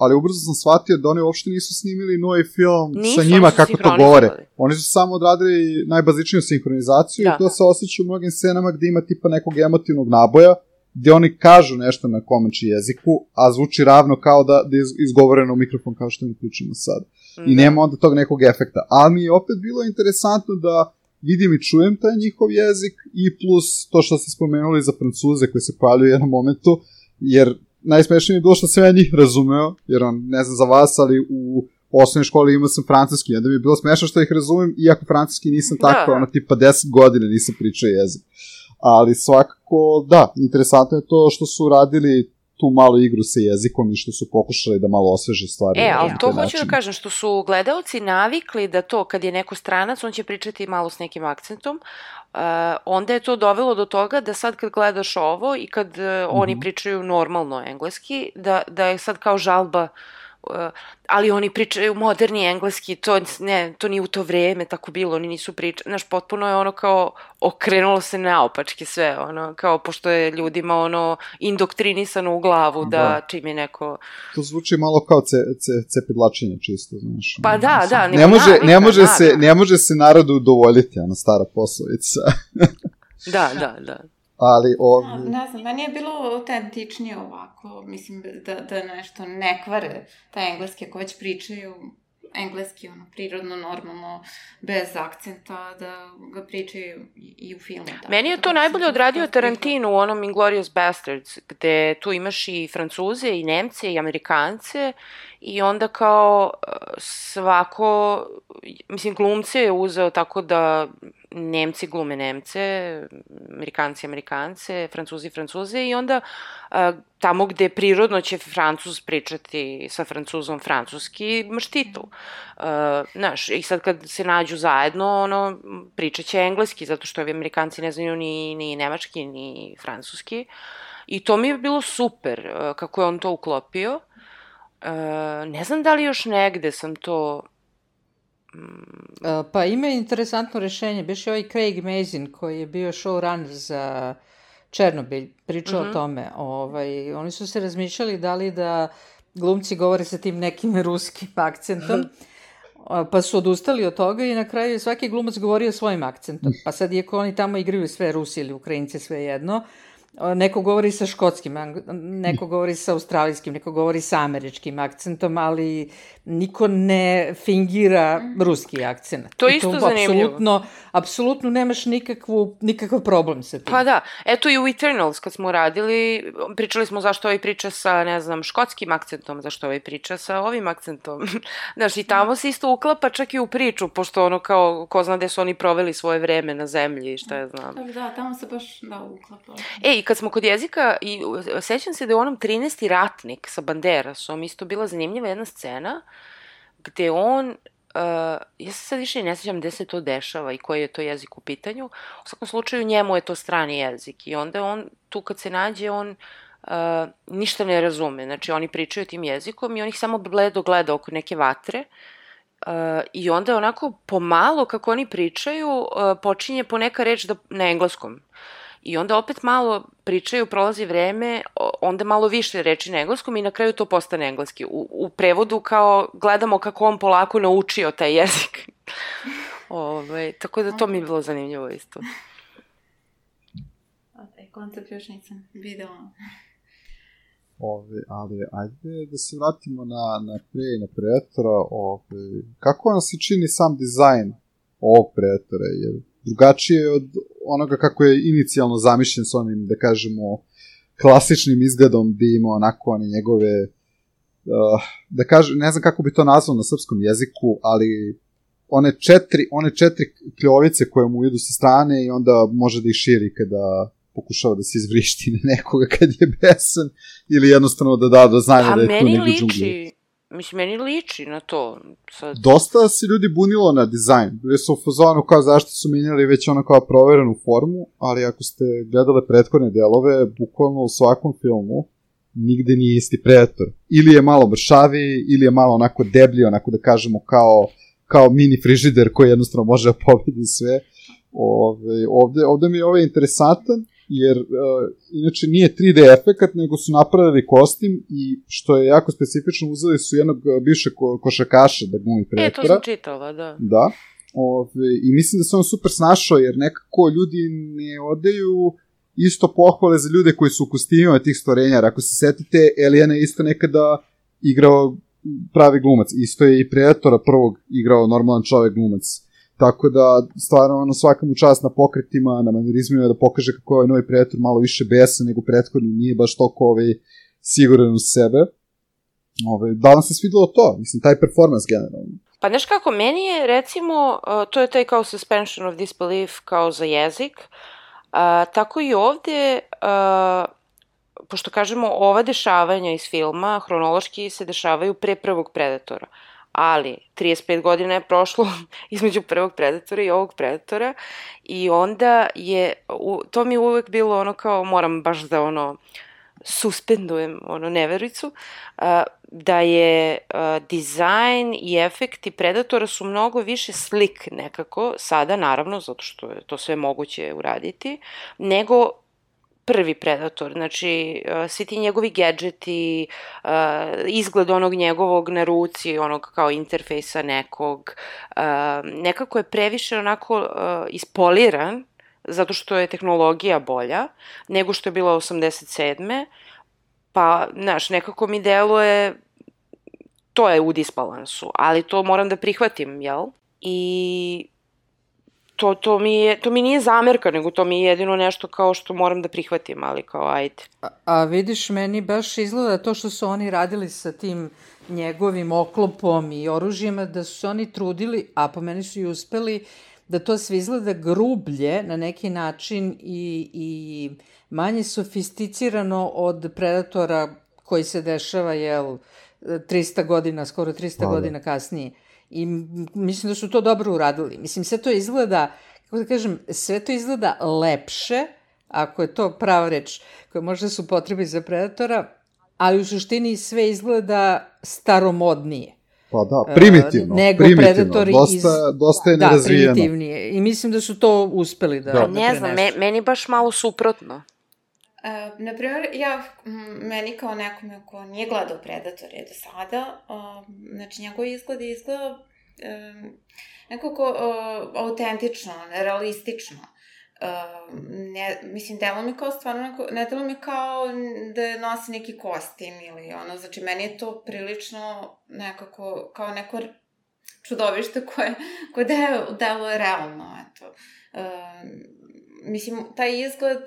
Ali ubrzo sam shvatio da oni uopšte nisu snimili novi film sa njima kako to govore. Oni su samo odradili najbazičniju sinhronizaciju i to se osjeća u mnogim scenama gde ima tipa nekog emotivnog naboja, gde oni kažu nešto na Komanči jeziku, a zvuči ravno kao da je izgovoreno u mikrofon kao što mi pričamo sad. I nema onda tog nekog efekta. Ali mi je opet bilo interesantno da vidim i čujem taj njihov jezik i plus to što ste spomenuli za Francuze koji se pojavljaju u jednom momentu, jer najsmešnije je bilo što sam ja njih razumeo, jer ne znam za vas, ali u osnovnoj školi imao sam francuski, onda mi je bilo smešno što ih razumem, iako francuski nisam tako, tipa 10 godina nisam pričao jezik. ali svakako, da, interesantno je to što su radili tu malu igru sa jezikom i što su pokušali da malo osveže stvari. Ali to hoću da kažem, što su gledaoci navikli da to, kad je neko stranac, on će pričati malo s nekim akcentom, onda je to dovelo do toga da sad kad gledaš ovo i kad oni pričaju normalno engleski, da je sad kao žalba, ali oni pričaju moderni engleski, to nije u to vreme tako bilo, oni nisu pričali, znaš, potpuno je ono kao okrenulo se naopačke sve, ono, kao pošto je ljudima ono indoktrinisano u glavu da čim je neko... To zvuči malo kao cepidlačenje čisto, znaš. Pa da, ne može se narodu udovoljiti, ona stara poslovica. Da. Ali ne znam, meni je bilo autentičnije ovako, mislim da nešto ne kvare taj engleski, ako već pričaju engleski, ono, prirodno, normalno, bez akcenta, da ga pričaju i u filmu. Meni je to najbolje odradio Tarantino u onom Inglourious Basterds, gde tu imaš i Francuze, i Nemce, i Amerikance, i onda kao svako, mislim, glumce je uzeo tako da Nemci glume Nemce, Amerikanci Amerikance, Francuzi Francuze, i onda tamo gde prirodno će Francuz pričati sa Francuzom francuski, imaš titul. Znaš, i sad kad se nađu zajedno, ono, pričat će engleski, zato što ovi Amerikanci ne znaju ni nemački, ni francuski. I to mi je bilo super, kako je on to uklopio. Ne znam da li još negde sam to... Pa ima interesantno rešenje. Biš je ovaj Craig Mazin koji je bio showrunner za Černobilj, pričao o tome. Oni su se razmišljali da li da glumci govore sa tim nekim ruskim akcentom, pa su odustali od toga i na kraju je svaki glumac govorio svojim akcentom. Pa sad, iako oni tamo igraju sve Rusi ili Ukrajince, sve jedno, neko govori sa škotskim, neko govori sa australijskim, neko govori sa američkim akcentom, ali niko ne fingira ruski akcent. To je isto zanimljivo. Apsolutno nemaš nikakav problem sa tim. Pa da, eto i u Eternals kad smo radili, pričali smo zašto ovaj priča sa, ne znam, škotskim akcentom, zašto ovaj priča sa ovim akcentom. Znaš, i tamo se isto uklapa čak i u priču, pošto ono kao, ko zna gde su oni proveli svoje vreme na zemlji i šta ja znam. Da, tamo se baš uklapa. I kad smo kod jezika, i sećam se da je u onom 13. ratnik sa Banderasom isto bila zanimljiva jedna scena gde on, ja se sad više ne sećam gde se to dešava i koji je to jezik u pitanju, u svakom slučaju njemu je to strani jezik i onda on, tu kad se nađe, on ništa ne razume, znači oni pričaju tim jezikom i on ih samo bledo gleda oko neke vatre i onda je onako pomalo kako oni pričaju počinje poneka reč na engleskom. I onda opet malo pričaju, prolazi vreme, onda malo više reči na engleskom i na kraju to postane engleski. U prevodu kao gledamo kako on polako naučio taj jezik. Tako da to mi je bilo zanimljivo isto. Taj koncept još nisam videla. Ali ajde da se vratimo na Predatora. Kako vam se čini sam dizajn ovog Predatora? Jer drugačije od onoga kako je inicijalno zamišljen s onim, da kažemo, klasičnim izgledom gde ima onako one njegove, da kažem, ne znam kako bi to nazvao na srpskom jeziku, ali one četiri kljovice koje mu idu sa strane i onda može da ih širi kada pokušava da se izvrišti na nekoga kad je besan ili jednostavno da da do znanja da je tu negdje džungli. Mislim, meni liči na to. Sad. Dosta se ljudi bunilo na dizajn. Bili su u fazonu kao zašto su menjali već ono kao proverenu formu, ali ako ste gledale prethodne delove, bukvalno u svakom filmu nigde nije isti Predator. Ili je malo mršaviji, ili je malo onako deblji, onako da kažemo kao mini frižider koji jednostavno može da pobedi sve. Ovde mi je ovaj interesantan, jer inače nije 3D efekat, nego su napravili kostim i što je jako specifično, uzeli su jednog bivšeg košarkaša da glumi Predatora. To sam čitala, da. Da. I mislim da se on super snašao, jer nekako ljudi ne odeju isto pohvale za ljude koji su u kostimima tih stvorenja. Ako se setite, Alien je isto nekada igrao pravi glumac. Isto je i Predatora prvog igrao normalan čovek glumac. Tako da, stvarno, svaka mu čast na pokretima, na manierizmima, da pokaže kako je ovaj novi Predator malo više besan nego prethodni, nije baš toliko siguran u sebe. Da vam se svidelo to? Mislim, taj performans generalno. Pa znaš kako, meni je, recimo, to je taj kao suspension of disbelief kao za jezik, Tako i ovde, pošto kažemo ova dešavanja iz filma, hronološki se dešavaju pre prvog Predatora, ali 35 godina je prošlo između prvog Predatora i ovog Predatora i onda je, to mi je uvek bilo ono kao, moram baš da suspendujem nevericu, da je dizajn i efekti Predatora su mnogo više slik nekako, sada naravno, zato što je to sve moguće uraditi, nego prvi Predator, znači svi ti njegovi gadžeti, izgled onog njegovog na ruci, onog kao interfejsa nekog, nekako je previše onako ispoliran, zato što je tehnologija bolja nego što je bila 87. Pa, znaš, nekako mi deluje, to je u disbalansu, ali to moram da prihvatim, jel? I to mi nije zamerka, nego to mi je jedino nešto kao što moram da prihvatim, ali kao ajde. A vidiš, meni baš izgleda to što su oni radili sa tim njegovim oklopom i oružjima, da su se oni trudili, a po meni su i uspeli, da to sve izgleda grublje na neki način i manje sofisticirano od Predatora koji se dešava, 300 godina, skoro 300 godina kasnije. I mislim da su to dobro uradili. Mislim, sve to izgleda, kako da kažem, sve to izgleda lepše, ako je to prava reč, koja možda su potrebi za Predatora, ali u suštini sve izgleda staromodnije. Pa da, primitivno. Nego Predatori dosta je nerazvijeno. Da, primitivnije. I mislim da su to uspeli da prenesu. Ne znam, meni baš malo suprotno. Naprimjer, meni kao nekome ko nije gledao Predatora do sada, znači njegov izgled je izgleda nekako autentično, realistično. Mislim, delo mi kao stvarno, ne delo mi kao da nosi neki kostim ili znači meni je to prilično nekako, kao neko čudovište koje deluje realno, eto. Mislim, taj izgled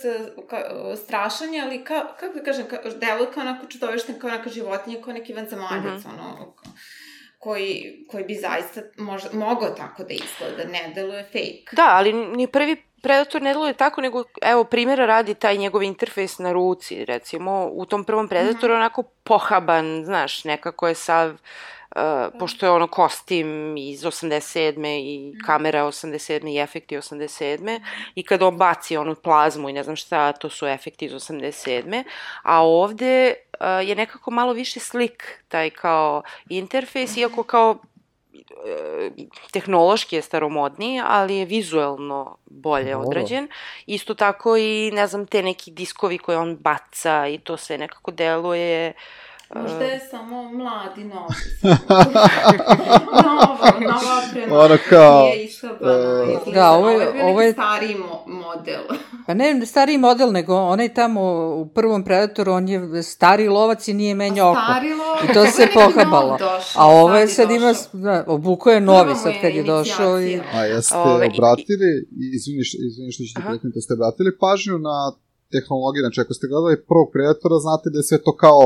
strašan je, ali kako da kažem, deluje kao neko čudovište, kao neka životinja, kao neki vanzemaljac, koji bi zaista mogao tako da izgleda, ne deluje fake. Da, ali ni prvi Predator ne deluje tako, nego, evo, primjera radi taj njegov interfejs na ruci, recimo, u tom prvom Predatoru onako pohaban, znaš, nekako je sav, pošto je kostim iz 87. i kamera 87. i efekti 87. I kada on baci onu plazmu i ne znam šta, to su efekti iz 87. A ovde je nekako malo više slik, taj kao interfejs, iako kao tehnološki je staromodniji, ali je vizuelno bolje odrađen. Isto tako i, ne znam, te neki diskovi koje on baca i to sve nekako deluje... Možda je samo mladi novi. Nova oprema nije išabana. Da, ovo je stariji model. Pa ne stariji model, nego onaj tamo u prvom Predatoru, on je stari lovac i nije menjao oko. I to se pohabalo. A ovo je sad ima, obuko je novi sad kad je došao. A jeste obratili, izvini što ćete preknuti, da ste obratili pažnju na tehnologije, znači ako ste gledali prvog Predatora, znate da je sve to kao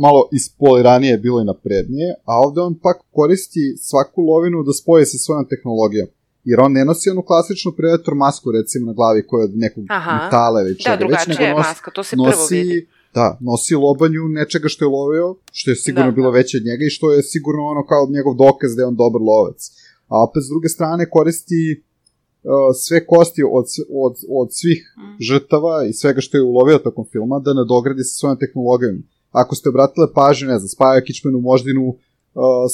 malo ispoliranije bilo i naprednije, a ovde on pak koristi svaku lovinu da spoje sa svojom tehnologijom. Jer on ne nosi onu klasičnu Predator masku, recimo, na glavi koja je od nekog metala ili čega. Da, drugačija je maska, to se prvo vidi. Da, nosi lobanju nečega što je lovio, što je sigurno bilo veće od njega i što je sigurno kao njegov dokaz da je on dobar lovac. A opet, s druge strane, koristi sve kosti od svih žrtava i svega što je ulovio tokom filma da nadogradi sa svojom tehnologijom. Ako ste obratili pažnju, ne znam, spajao kičmenu moždinu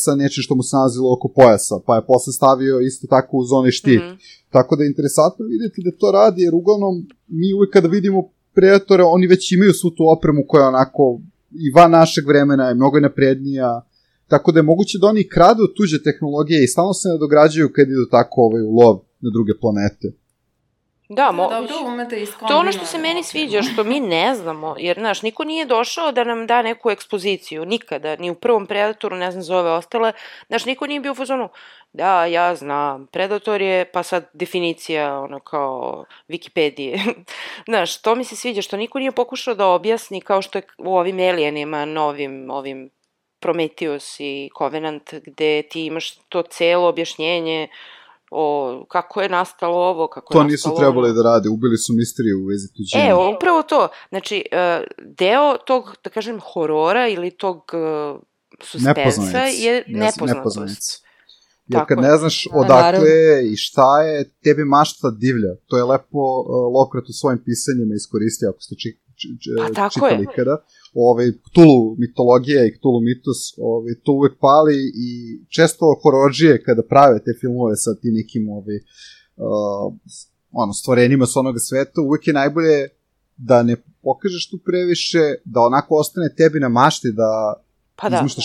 sa nečim što mu se nalazilo oko pojasa, pa je posle stavio isto tako uz onaj štit. Tako da je interesantno vidjeti da to radi, jer uglavnom mi uvijek kada vidimo Predatore, oni već imaju svu tu opremu koja je onako i van našeg vremena, je mnogo naprednija, tako da je moguće da oni kradu tuđe tehnologije i stalno se nadograđuju kad idu tako u lov na druge planete. Da, to je ono što se meni sviđa, što mi ne znamo, jer, znaš, niko nije došao da nam da neku ekspoziciju, nikada, ni u prvom Predatoru, ne znam za ove ostale, znaš, niko nije bio u fazonu, da, ja znam, Predator je, pa sad definicija, kao Wikipedije, znaš, to mi se sviđa, što niko nije pokušao da objasni, kao što je u ovim Alienima, novim, ovim Prometheus i Covenant, gde ti imaš to celo objašnjenje, kako je nastalo ovo, kako je to nisu trebali da rade, ubili su misteriju u vezi tuđine. Upravo to. Znači, deo tog, da kažem, horora ili tog suspensa je nepoznatost. Jer kad ne znaš odakle je i šta je, tebi mašta divlja. To je lepo Lovecraft u svojim pisanjima iskoristio, ako ste čitali kada. Cthulhu mitologija i Cthulhu mitos, to uvek pali i često hororđije kada prave te filmove sa ti nekim stvorenjima s onoga sveta, uvek je najbolje da ne pokažeš tu previše, da onako ostane tebi na mašti, da izmišlja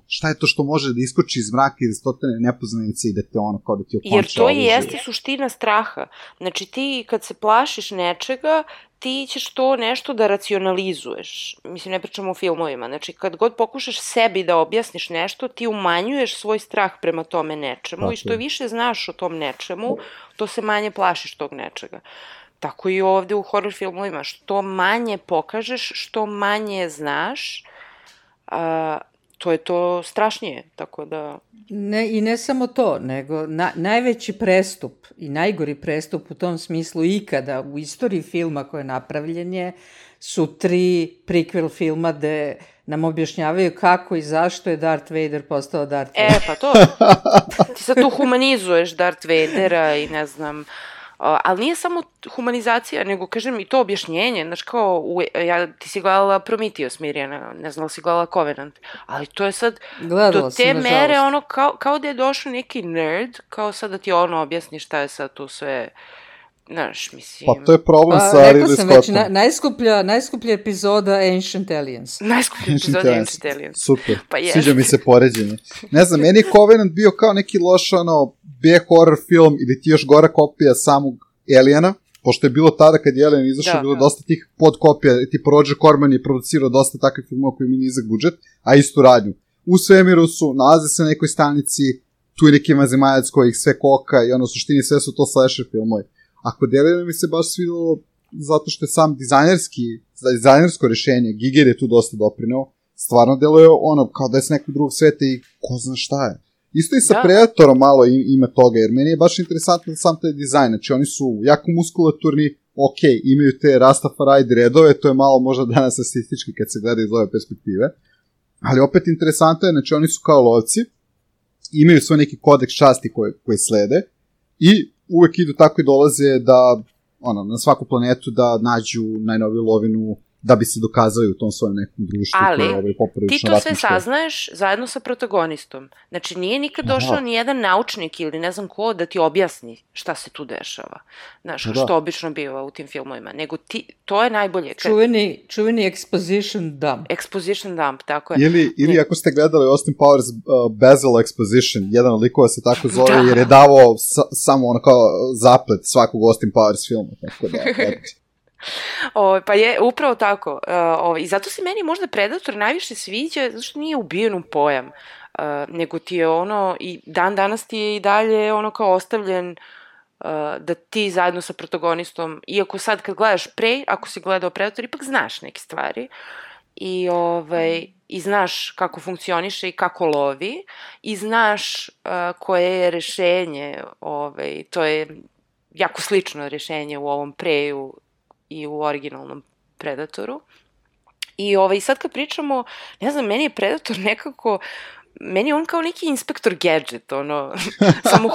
šta je to što može da iskoči iz mraka i da stotane nepoznanice i da te kao da ti okonča. Jer to i jeste suština straha. Znači ti kad se plašiš nečega, ti ćeš to nešto da racionalizuješ. Mislim, ne pričamo o filmovima. Znači, kad god pokušaš sebi da objasniš nešto, ti umanjuješ svoj strah prema tome nečemu i što više znaš o tom nečemu, to se manje plašiš tog nečega. Tako i ovde u horror filmovima. Što manje pokažeš, što manje znaš, to je to strašnije, tako da... I ne samo to, nego najveći prestup i najgori prestup u tom smislu ikada u istoriji filma koje je napravljen su 3 prequel filma gde nam objašnjavaju kako i zašto je Darth Vader postao Darth Vader. Pa to, ti sad tu humanizuješ Darth Vadera i ne znam... Ali nije samo humanizacija, nego, kažem, i to objašnjenje, znaš, kao, ti si gledala Prometheus, Mirjana, ne znam li si gledala Covenant, ali to je sad, do te mere, kao da je došao neki nerd, kao sad da ti objasni šta je sad tu sve, znaš, mislim... Pa to je problem sa Ridley Scottom. Rekla sam već, najskuplja epizoda Ancient Aliens. Najskuplja epizoda Ancient Aliens. Super, sviđa mi se poređenje. Ne znam, meni je Covenant bio kao neki loš, B-horror film ili ti još gora kopija samog Aliena, pošto je bilo tada kad je Alien izašao, bilo dosta tih podkopija, tipa Roger Corman je producirao dosta takvih filmova koji mi nizak budžet, a istu radnju. U svemiru su, nalaze se na nekoj stanici, tu je neki mazemaljac koji ih sve koka i u suštini sve su to slasher filmovi. A kod Aliena mi se baš svidelo zato što je sam dizajnersko rešenje, Giger je tu dosta doprineo, stvarno deluje kao da je s nekog drugog sveta i ko zna šta je. Isto i sa Predatorom malo ima toga, jer meni je baš interesantno sam taj dizajn, znači oni su jako muskulaturni, imaju te Rastafari redove, to je malo možda danas statistički kad se gleda iz ove perspektive, ali opet interesantno je, znači oni su kao lovci, imaju svoj neki kodeks časti koji slede i uvek idu tako i dolaze da, na svaku planetu da nađu najnoviju lovinu, da bi se dokazali u tom svojom nekom društvu. Ali, ti to sve saznaješ zajedno sa protagonistom. Znači, nije nikad došao ni jedan naučnik ili ne znam ko da ti objasni šta se tu dešava. Znaš, što obično biva u tim filmovima. Nego to je najbolje. Čuveni exposition dump. Exposition dump, tako je. Ili ako ste gledali Austin Powers Basil Exposition, jedan od likova se tako zove, jer je davao samo kao zaplet svakog Austin Powers filma. Tako da, pa je upravo tako i zato se meni možda Predator najviše sviđa zato što nije ubijen u pojam nego ti je i dan danas ti je i dalje kao ostavljen da ti zajedno sa protagonistom, iako sad kad gledaš ako si gledao Predator, ipak znaš neke stvari i znaš kako funkcioniše i kako lovi i znaš koje je rešenje, to je jako slično rešenje u ovom Preju i u originalnom Predatoru. I sad kad pričamo, ne znam, meni je Predator nekako, meni je on kao neki Inspektor Gadget, samo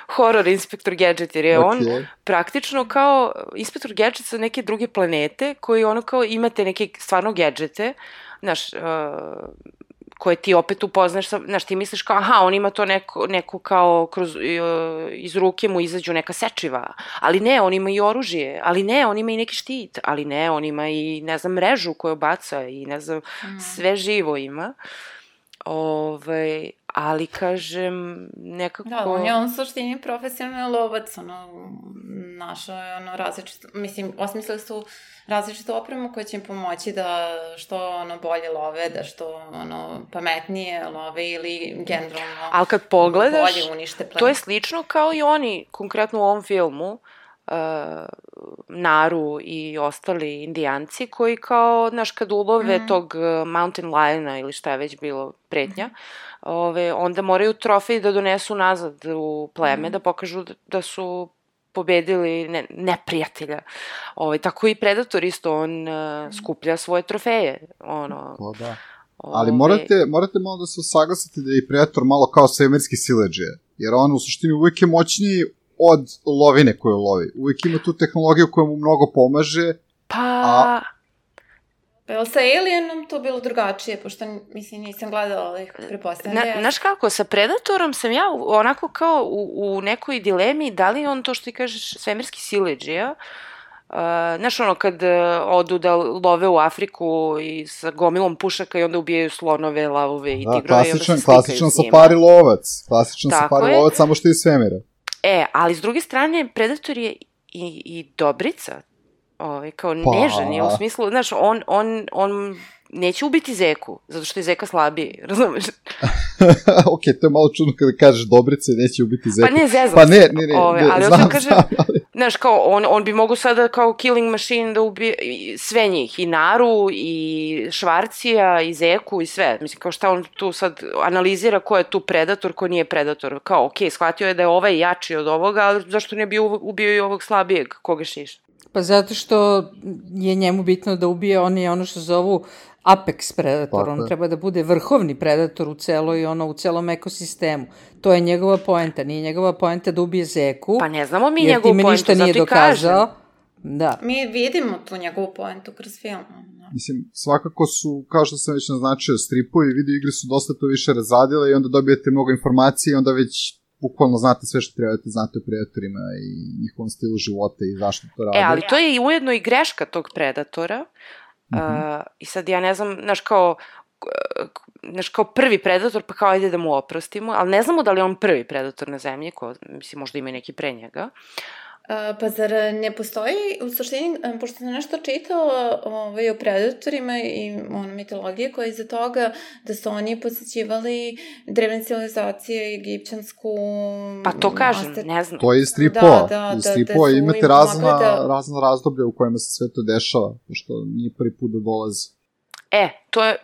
horror Inspektor Gadget, jer je on praktično kao Inspektor Gadget sa neke druge planete, koji kao imate neke stvarno gadžete, znaš, koje ti opet upoznaš, znaš, ti misliš kao, on ima to neko kao, iz ruke mu izađu neka sečiva, ali ne, on ima i oružje, ali ne, on ima i neki štit, ali ne, on ima i, ne znam, mrežu koju baca i, ne znam, sve živo ima. Ali, kažem, nekako... Da, on je suštini profesionalni lovac, našao je različito, mislim, osmislili su različitu opremu koja će im pomoći da što bolje love, da što pametnije love ili generalno ali kad pogledaš, bolje unište plen. To je slično kao i oni, konkretno u ovom filmu, Naru i ostali indijanci koji kao, znaš, kad ulove tog mountain liona ili šta je već bilo pretnja, onda moraju trofej da donesu nazad u pleme, da pokažu da su pobedili neprijatelja. Tako i Predator isto, on skuplja svoje trofeje. Da. Ali morate malo da se saglasite da je Predator malo kao svemirski siledžije, jer on u suštini uvijek je moćniji od lovine koju lovi. Uvijek ima tu tehnologiju koja mu mnogo pomaže. Pa je sa Alienom to bilo drugačije, pošto, mislim, nisam gledala, ali prepostavljam. Znaš kako, sa Predatorom sam ja onako kao u nekoj dilemi, da li on to što ti kažeš svemirski siledžija, znaš kad odu da love u Afriku i sa gomilom pušaka i onda ubijaju slonove, lavove i tigrove i onda se slikaju s njima. Klasičan safari lovac. Klasičan safari lovac, samo što je iz svemira. Ali s druge strane, Predator je i dobrica, kao nežan je u smislu, znaš, on neće ubiti Zeku, zato što je Zeka slabiji, razumeš? Ok, to je malo čudno kada kažeš dobrice, neće ubiti Zeku. Pa ne, zezam se. Ali znam, kaže, znaš, kao, on bi mogo sada kao killing machine da ubije sve njih, i Naru, i Švarcija, i Zeku, i sve. Mislim, kao šta on tu sad analizira ko je tu Predator, ko nije Predator. Kao, ok, shvatio je da je ovaj jači od ovoga, ali zašto ne bi ubio i ovog slabijeg, koga šiša? Pa zato što je njemu bitno da ubije, on je ono što zovu apex predator, on treba da bude vrhovni predator u celom ekosistemu. To je njegova poenta, nije njegova poenta da ubije Zeku. Pa ne znamo mi njegovu poentu, zato i kažem. Da. Mi vidimo tu njegovu poentu kroz film. Mislim, svakako su, kao što sam već naznačio, stripovi, video igre su dosta to više razradile i onda dobijete mnogo informacije i onda već bukvalno znate sve što trebate, znate o predatorima i njihovom stilu života i zašto to rade. Ali to je ujedno i greška tog Predatora. I sad ja ne znam, znaš kao prvi Predator, pa kao ajde da mu oprostimo, ali ne znamo da li je on prvi Predator na zemlji, mislim možda ima neki pre njega. Pa zar ne postoji, u suštini, pošto sam nešto čitala o predatorima i mitologije koja je iza toga, da su oni posjećivali drevne civilizacije, egipćansku... Pa to kažem, ne znam. To je iz stripova. Iz stripova imate razna razdoblja u kojima se sve to dešava, pošto nije prvi put da dolazi.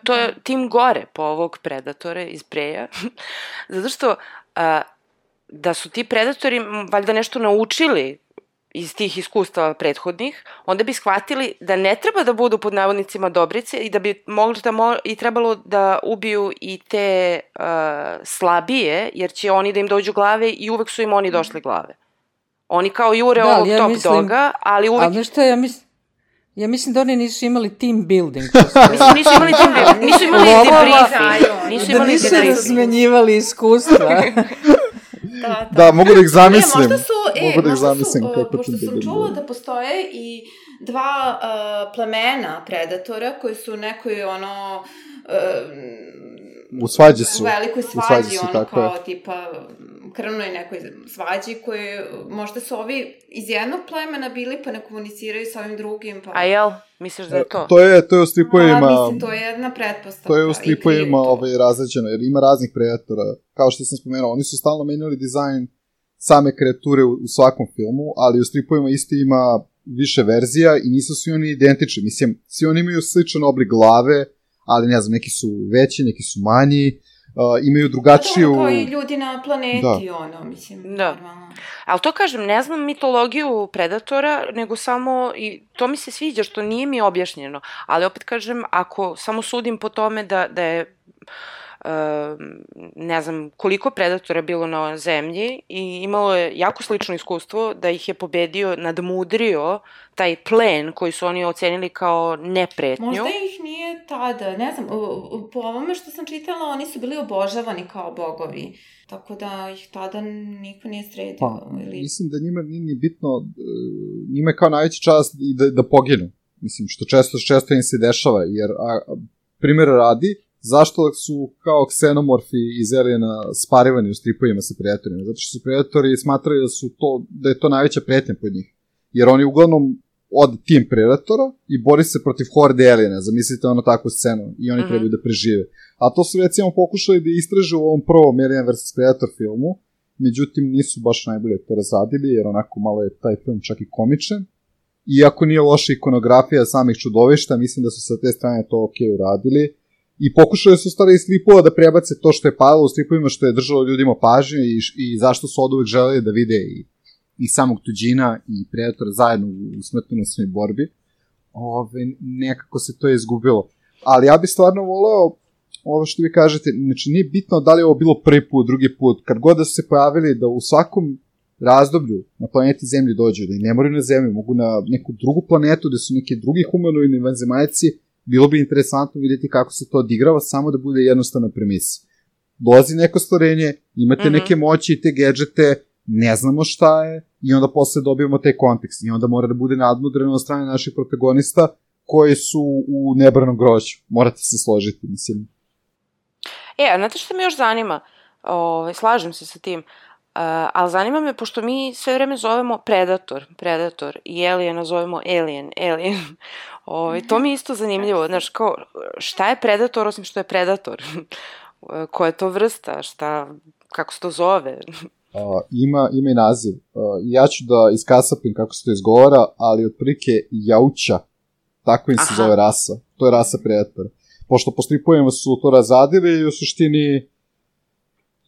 To je tim gore po ovog Predatora iz Preja, zato što da su ti Predatori valjda nešto naučili iz tih iskustava prethodnih, onda bi shvatili da ne treba da budu pod navodnicima dobrice i da bi i trebalo da ubiju i te slabije, jer će oni da im dođu glave i uvek su im oni došli glave. Oni kao jure ovog top doga, ali uvek... Ali nešto ja mislim da oni nisu imali team building. Nisu imali team building, nisu imali debriefing. Da nisu razmenjivali iskustva. Da, mogu da ih zamislim. Pošto sam čula da postoje i dva plemena predatora koji su nekoj u svađi su. U velikoj svađi, kao tipa krvnoj nekoj svađi koje možda su ovi iz jednog plemena bili pa ne komuniciraju sa ovim drugim. A jel? Misliš da je to? To je u stripovima... Mislim, to je jedna pretpostavka. To je u stripovima razređeno, jer ima raznih predatora. Kao što sam spomenuo, oni su stalno menjali dizajn same kreature u svakom filmu, ali u stripovima isto ima više verzija i nisu svi oni identični. Mislim, svi oni imaju sličan oblik glave, ali ne znam, neki su veći, neki su manji, imaju drugačiju... Kao i ljudi na planeti, mislim. Da. Ali to kažem, ne znam mitologiju Predatora, nego samo, i to mi se sviđa što nije mi objašnjeno, ali opet kažem, ako samo sudim po tome da je, ne znam koliko Predatora bilo na zemlji i imalo je jako slično iskustvo da ih je pobedio, nadmudrio taj plen koji su oni ocenili kao nepretnju. Možda ih nije tada, ne znam, po ovome što sam čitala, oni su bili obožavani kao bogovi, tako da ih tada niko nije sredio. Pa, mislim da njima nije bitno, njima je kao najveća čast da poginu, mislim, što često im se dešava, jer primjera radi, zašto su kao ksenomorfi iz Aliena sparivani u stripovima sa predatorima? Zato što su predatori smatrali da je to najveća pretnja pod njih. Jer oni uglavnom od tim predatora i bori se protiv horde Aliena. Zamislite takvu scenu i oni trebaju da prežive. A to su recimo pokušali da istraže u ovom prvom Alien vs. Predator filmu međutim nisu baš najbolje to razradili, jer onako malo je taj film čak i komičan. Iako nije loša ikonografija samih čudovišta, mislim da su sa te strane to ok uradili. I pokušali su stvari iz stripova da prebace to što je padalo u stripovima, što je držalo ljudima pažnje i zašto su od uvek želeli da vide i samog tuđina i Predatora zajedno u smrtonosnoj borbi. Nekako se to je izgubilo. Ali ja bih stvarno voleo, ovo što vi kažete, znači nije bitno da li je ovo bilo prvi put, drugi put, kad god da su se pojavili da u svakom razdoblju na planeti Zemlji dođu, da i ne moraju na Zemlju, mogu na neku drugu planetu, da su neki drugi humanoidni vanzemaljci, bilo bi interesantno vidjeti kako se to odigrava, samo da bude jednostavna premisa. Dolazi neko stvorenje, imate neke moći i te gadžete, ne znamo šta je, i onda posle dobijemo taj kontekst. I onda mora da bude nadmudreno od strane naših protagonista koji su u nebranom grožđu. Morate se složiti, mislim. A znate što me još zanima? Slažem se sa tim. Ali zanima me, pošto mi sve vreme zovemo Predator i Aliena zovemo Alien. To mi je isto zanimljivo, znaš, kao, šta je Predator osim što je Predator? Koja je to vrsta? Kako se to zove? Ima i naziv. Ja ću da iskasapim kako se to izgovara, ali otprilike Jauća, tako im se zove rasa. To je rasa Predatora. Pošto po stripovima su to razadili i u suštini,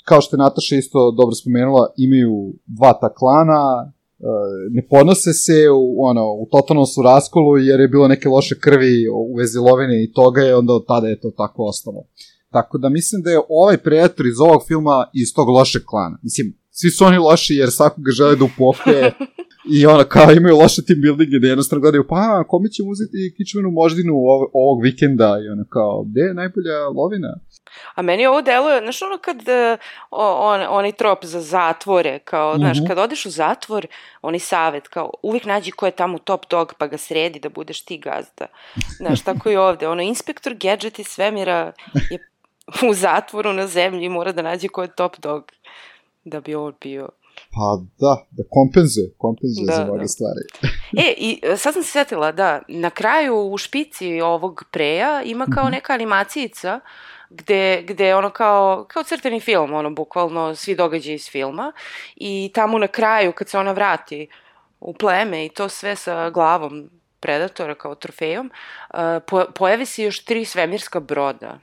kao što je Nataša isto dobro spomenula, imaju dva ta klana, ne podnose se, u totalnom su raskolu jer je bilo neke loše krvi u vezi lovine i toga i onda od tada je to tako ostalo. Tako da mislim da je ovaj Predator iz ovog filma iz tog lošeg klana. Mislim, svi su oni loši jer svakoga žele da upokoje i kao imaju loše team buildinge da jednostavno gledaju, kome ćemo uzeti kičmenu moždinu ovog vikenda i kao, gde je najbolja lovina? A meni ovo deluje, znaš kad onaj trop za zatvore, kao, znaš, kad odeš u zatvor, oni savet, kao, uvijek nađi ko je tamo top dog, pa ga sredi da budeš ti gazda. Znaš, tako i ovde, inspektor gadget iz svemira je u zatvoru na zemlji i mora da nađe ko je top dog da bi on bio. Pa da kompenzuje za mnoge stvari. I sad sam se sjetila, da, na kraju u špici ovog Preja ima kao neka animacijica gde kao crteni film, bukvalno svi događaji iz filma i tamo na kraju kad se ona vrati u pleme i to sve sa glavom Predatora kao trofejom, pojavi se još 3 svemirska broda.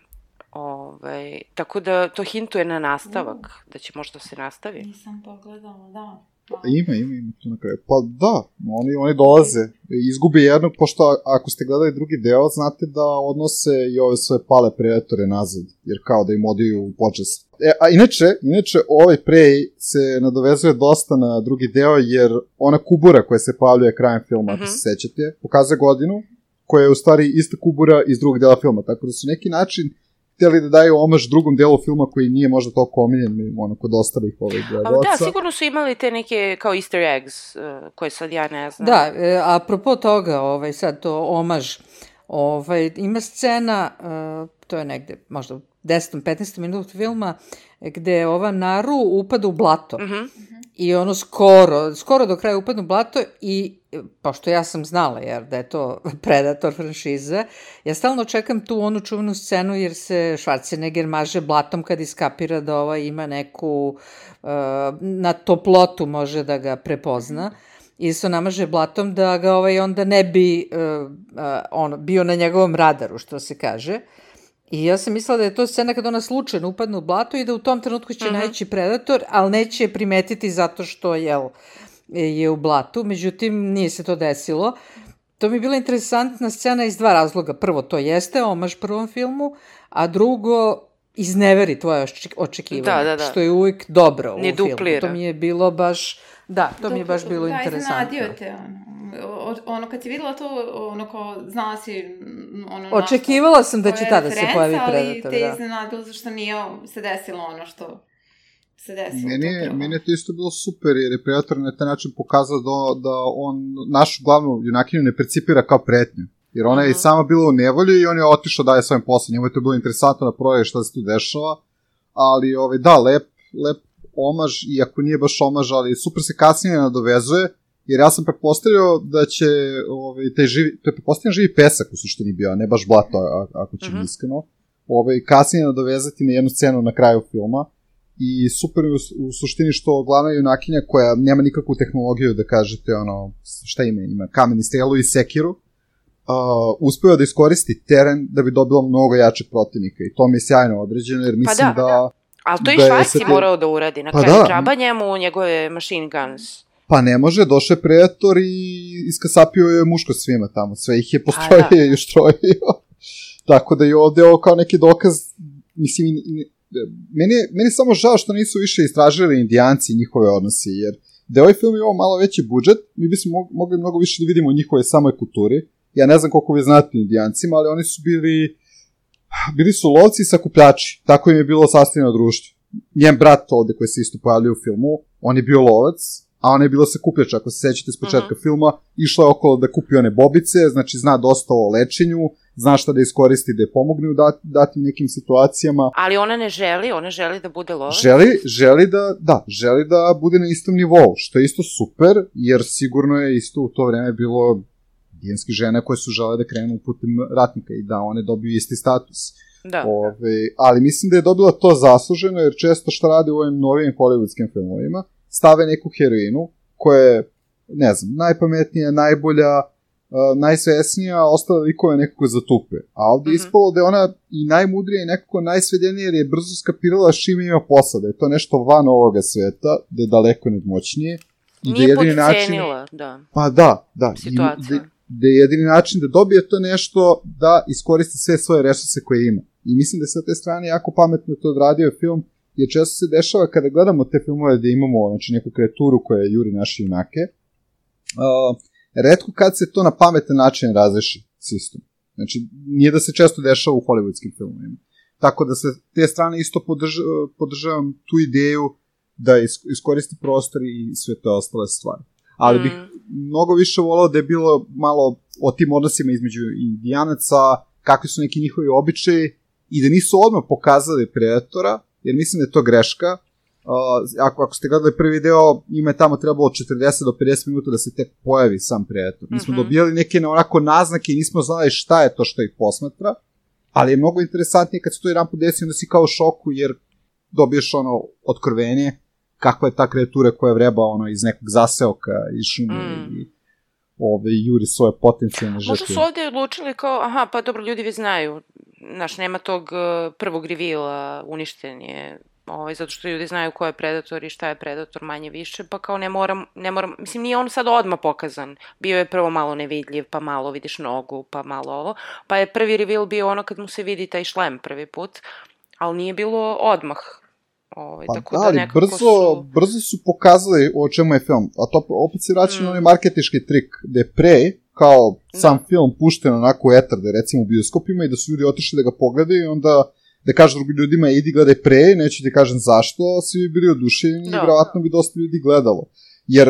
Tako da to hintuje na nastavak, da će možda se nastavi. Nisam pogledala, da. Ima to na kraju. Pa da, oni dolaze, izgube jednog, pošto ako ste gledali drugi deo, znate da odnose i ove svoje pale Predatore nazad, jer kao da im odaju u počest. A inače, ovaj Prey se nadovezuje dosta na drugi deo, jer ona kubura koja se pojavljuje krajem filma, ako se sećate, pokazuje godinu, koja je u stvari ista kubura iz drugog dela filma, tako da su neki način htjeli da daju omaž drugom delu filma koji nije možda toliko omiljen kod ostalih ovih gledalaca. Da, sigurno su imali te neke kao easter eggs koje sad ja ne znam. Da, apropo toga, sad to omaž, ima scena, to je negde možda 10-15 minuta filma, gde ova Naru upada u blato. I skoro do kraja upadne u blato i pošto ja sam znala da je to Predator franšiza, ja stalno čekam tu onu čuvenu scenu jer se Schwarzenegger maže blatom kad iskapira da ima neku na toplotu može da ga prepozna i se namaže blatom da ga onda ne bi bio na njegovom radaru, što se kaže. I ja sam mislila da je to scena kad ona slučajno upadne u blato i da u tom trenutku će naći Predator, ali neće je primetiti zato što je u blatu. Međutim, nije se to desilo. To mi je bila interesantna scena iz 2 razloga. Prvo, to jeste omaž prvom filmu, a drugo, izneveri tvoje očekivanje, što je uvijek dobro u filmu. To mi je bilo baš... Da, to mi je baš bilo interesantno. Da, iznenadio te, kad si videla to, kao znala si, očekivala sam da će tada se pojavi Predator, ali te iznenadilo zašto nije se desilo ono što se desilo. Meni je to isto bilo super, jer je Predator na taj način pokazao da on našu glavnu junakinju ne percipira kao pretnju. Jer ona je sama bila u nevolji i on je otišao dalje svojim poslom. Njemu je to bilo interesantno da proje šta se tu dešava, ali da, lep omaž, iako nije baš omaž, ali super se kasnije nadovezuje, jer ja sam pretpostavio da će to je pretpostavljen živi pesak u suštini bio, a ne baš blato, ako ćemo iskreno, kasnije nadovezati na jednu scenu na kraju filma, i super u suštini što glavna junakinja koja nema nikakvu tehnologiju da kažete šta ima kameni strelu i sekiru, uspeva da iskoristi teren da bi dobila mnogo jačeg protivnika i to mi je sjajno određeno jer mislim da... Ali to i Švarci morao da uradi, na kraju džaba njemu njegove machine guns. Pa ne može, došao je Predator i iskasapio je muško svima tamo, sve ih je postrojio i uštrojio. Tako da je ovde ovo kao neki dokaz, mislim, meni je samo žao što nisu više istražili Indijanci i njihove odnose, jer da je ovaj film imao malo veći budžet, mi bismo mogli mnogo više da vidimo o njihove samoj kulturi. Ja ne znam koliko vi znate Indijancima, ali oni su bili su lovci i sakupljači, tako im je bilo sastavljeno društvo. Njen brat ovde koji se isto pojavljuje u filmu, on je bio lovac, a ona je bila sakupljač, ako se sećate s početka filma, išla je okolo da kupi one bobice, znači zna dosta o lečenju, zna šta da iskoristi da je pomogne u datim nekim situacijama. Ali ona želi da bude lovac? Želi da bude na istom nivou, što je isto super, jer sigurno je isto u to vreme bilo indijanske žene koje su žele da krenu putem ratnika i da one dobiju isti status. Da. Ali mislim da je dobila to zasluženo, jer često što rade u ovim novim hollywoodskim filmovima, stave neku heroinu koja je, ne znam, najpametnija, najbolja, najsvesnija, ostale likove nekako zatupe. A ovdje je ispalo da je ona i najmudrija i nekako najsvedenija jer je brzo skapirala s čim ima posla, da je to nešto van ovoga sveta, da je daleko nadmoćnije. Nije podcenila, da. Pa da. Situacija. Da je jedini način da dobije to nešto da iskoristi sve svoje resurse koje ima. I mislim da je sa te strane jako pametno to odradio film, jer često se dešava kada gledamo te filmove gde imamo neku kreaturu koja juri naše junake, retko kad se to na pametan način razreši sistem. Znači, nije da se često dešava u hollywoodskim filmovima. Tako da sa te strane isto podržavam tu ideju da iskoristi prostor i sve te ostale stvari. Ali bih mnogo više volao da je bilo malo o tim odnosima između Indijanaca, kakvi su neki njihovi običaji i da nisu odmah pokazali Predatora, jer mislim da je to greška. Ako ste gledali prvi deo, ima je tamo trebalo 40 do 50 minuta da se tek pojavi sam Predator. Mi smo dobijali neke onako naznake i nismo znali šta je to što ih posmatra, ali je mnogo interesantnije kad se to jedan put desi, onda si kao u šoku jer dobiješ otkrovenje kakva je ta kreatura koja vreba iz nekog zaseoka iz šume i juri svoje potencijalne žrtve. Možda su ovde odlučili kao, pa dobro, ljudi vi znaju, nema tog prvog reveala, uništen je, zato što ljudi znaju ko je Predator i šta je Predator manje više, pa kao ne moram, mislim nije on sad odmah pokazan, bio je prvo malo nevidljiv, pa malo vidiš nogu, pa malo ovo, pa je prvi reveal bio kad mu se vidi taj šlem prvi put, ali nije bilo odmah. Brzo su pokazali o čemu je film, a to opet se vraća na onaj marketički trik, gde je pre, kao sam film pušten onako u etar, da je recimo u bioskopima i da su ljudi otišli da ga pogledaju i onda da kažu drugim ljudima idi gledaj pre, neću ti kažem zašto, svi bi bili oduševljeni i vjerovatno bi dosta ljudi gledalo. Jer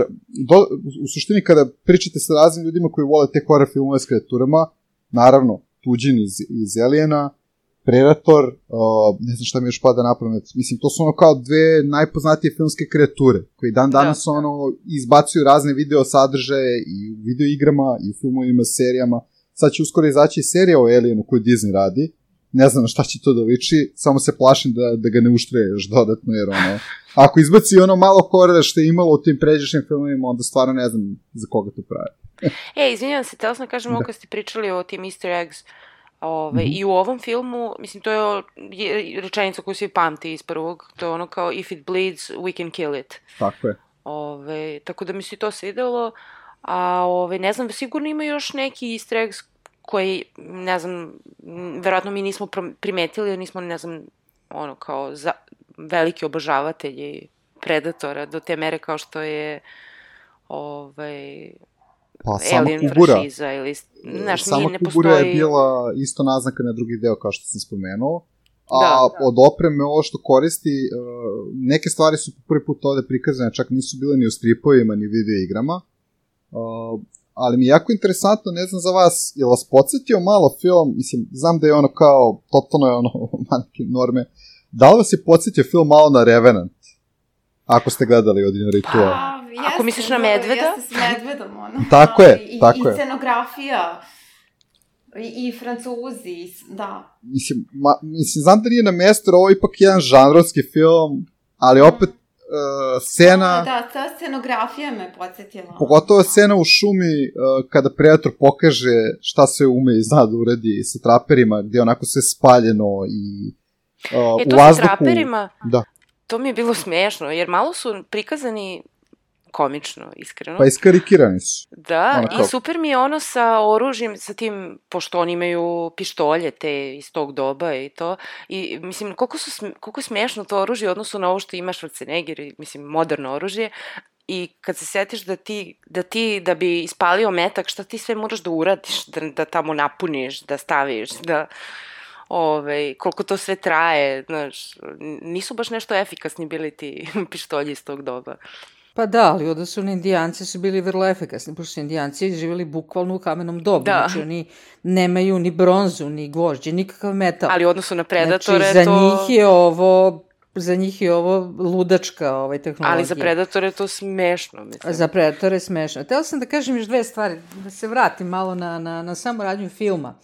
u suštini kada pričate sa raznim ljudima koji vole te horror filmove s kreaturama, naravno Tuđin iz Aliena, Predator, ne znam šta mi još pada na pamet, mislim, to su kao dve najpoznatije filmske kreature, koji danas izbacuju razne video sadržaje i u video igrama, i u filmovima, serijama. Sad će uskoro izaći serija o Alienu koju Disney radi, ne znam na šta će to da liči, samo se plašim da ga ne uštreje još dodatno, jer ako izbaci malo horora što je imalo u tim pređašnjim filmovima, onda stvarno ne znam za koga to pravi. Izvinjam se, tela sam kažem ovo kad ste pričali o tim easter eggs, i u ovom filmu, mislim, to je rečenica koju svi pamti iz prvog, to je kao if it bleeds, we can kill it. Tako je. Tako da mi se to svidelo, a ne znam, sigurno ima još neki easter eggs koji, ne znam, verovatno mi nismo primetili, jer nismo, ne znam, kao veliki obožavatelji Predatora do te mere kao što je Alien franšiza ili, znaš, nije, ne postoji... Sama Kubura je bila isto naznaka na drugi deo, kao što sam spomenuo, a od opreme ovo što koristi, neke stvari su prvi put ovde prikazane, čak nisu bile ni u stripovima, ni video igrama, ali mi je jako interesantno, ne znam za vas, je vas podsjetio malo film, mislim, znam da je kao, totalno je manjke norme, da li vas je podsjetio film malo na Revenant, ako ste gledali Odin Ritual? Ako misliš na medveda? Jeste s medvedom, Tako je. I scenografija, i Francuzi, da. Mislim, znam da nije na mesto, ovo je ipak jedan žanrovski film, ali opet scena... Da, ta scenografija me podsjetila. Pogotovo scena u šumi kada Predator pokaže šta sve ume i zna da uradi sa traperima, gde je onako sve spaljeno i u vazduhu... sa traperima, da. To mi je bilo smešno, jer malo su prikazani komično, iskreno. Pa iskarikirani su. Da, i super mi je ono sa oružjem, sa tim, pošto oni imaju pištolje te iz tog doba i to, i mislim, koliko je smešno to oružje u odnosu na ovo što ima Schwarzenegger, mislim, moderno oružje, i kad se setiš da bi ispalio metak, šta ti sve moraš da uradiš, da tamo napuniš, da staviš, da... koliko to sve traje, znaš, nisu baš nešto efikasni bili ti pištolji iz tog doba. Pa da, ali odnosno indijanci su bili vrlo efikasni, pošto su indijanci živjeli bukvalno u kamenom dobu, znači oni nemaju ni bronzu, ni gvožđe, nikakav metal. Ali u odnosu na Predatore znači, za njih je ovo ludačka tehnologija. Ali za Predatore je to smešno, mislim. Za Predatore je smešno. Htela sam da kažem još dve stvari, da se vratim malo na samu radnju filma.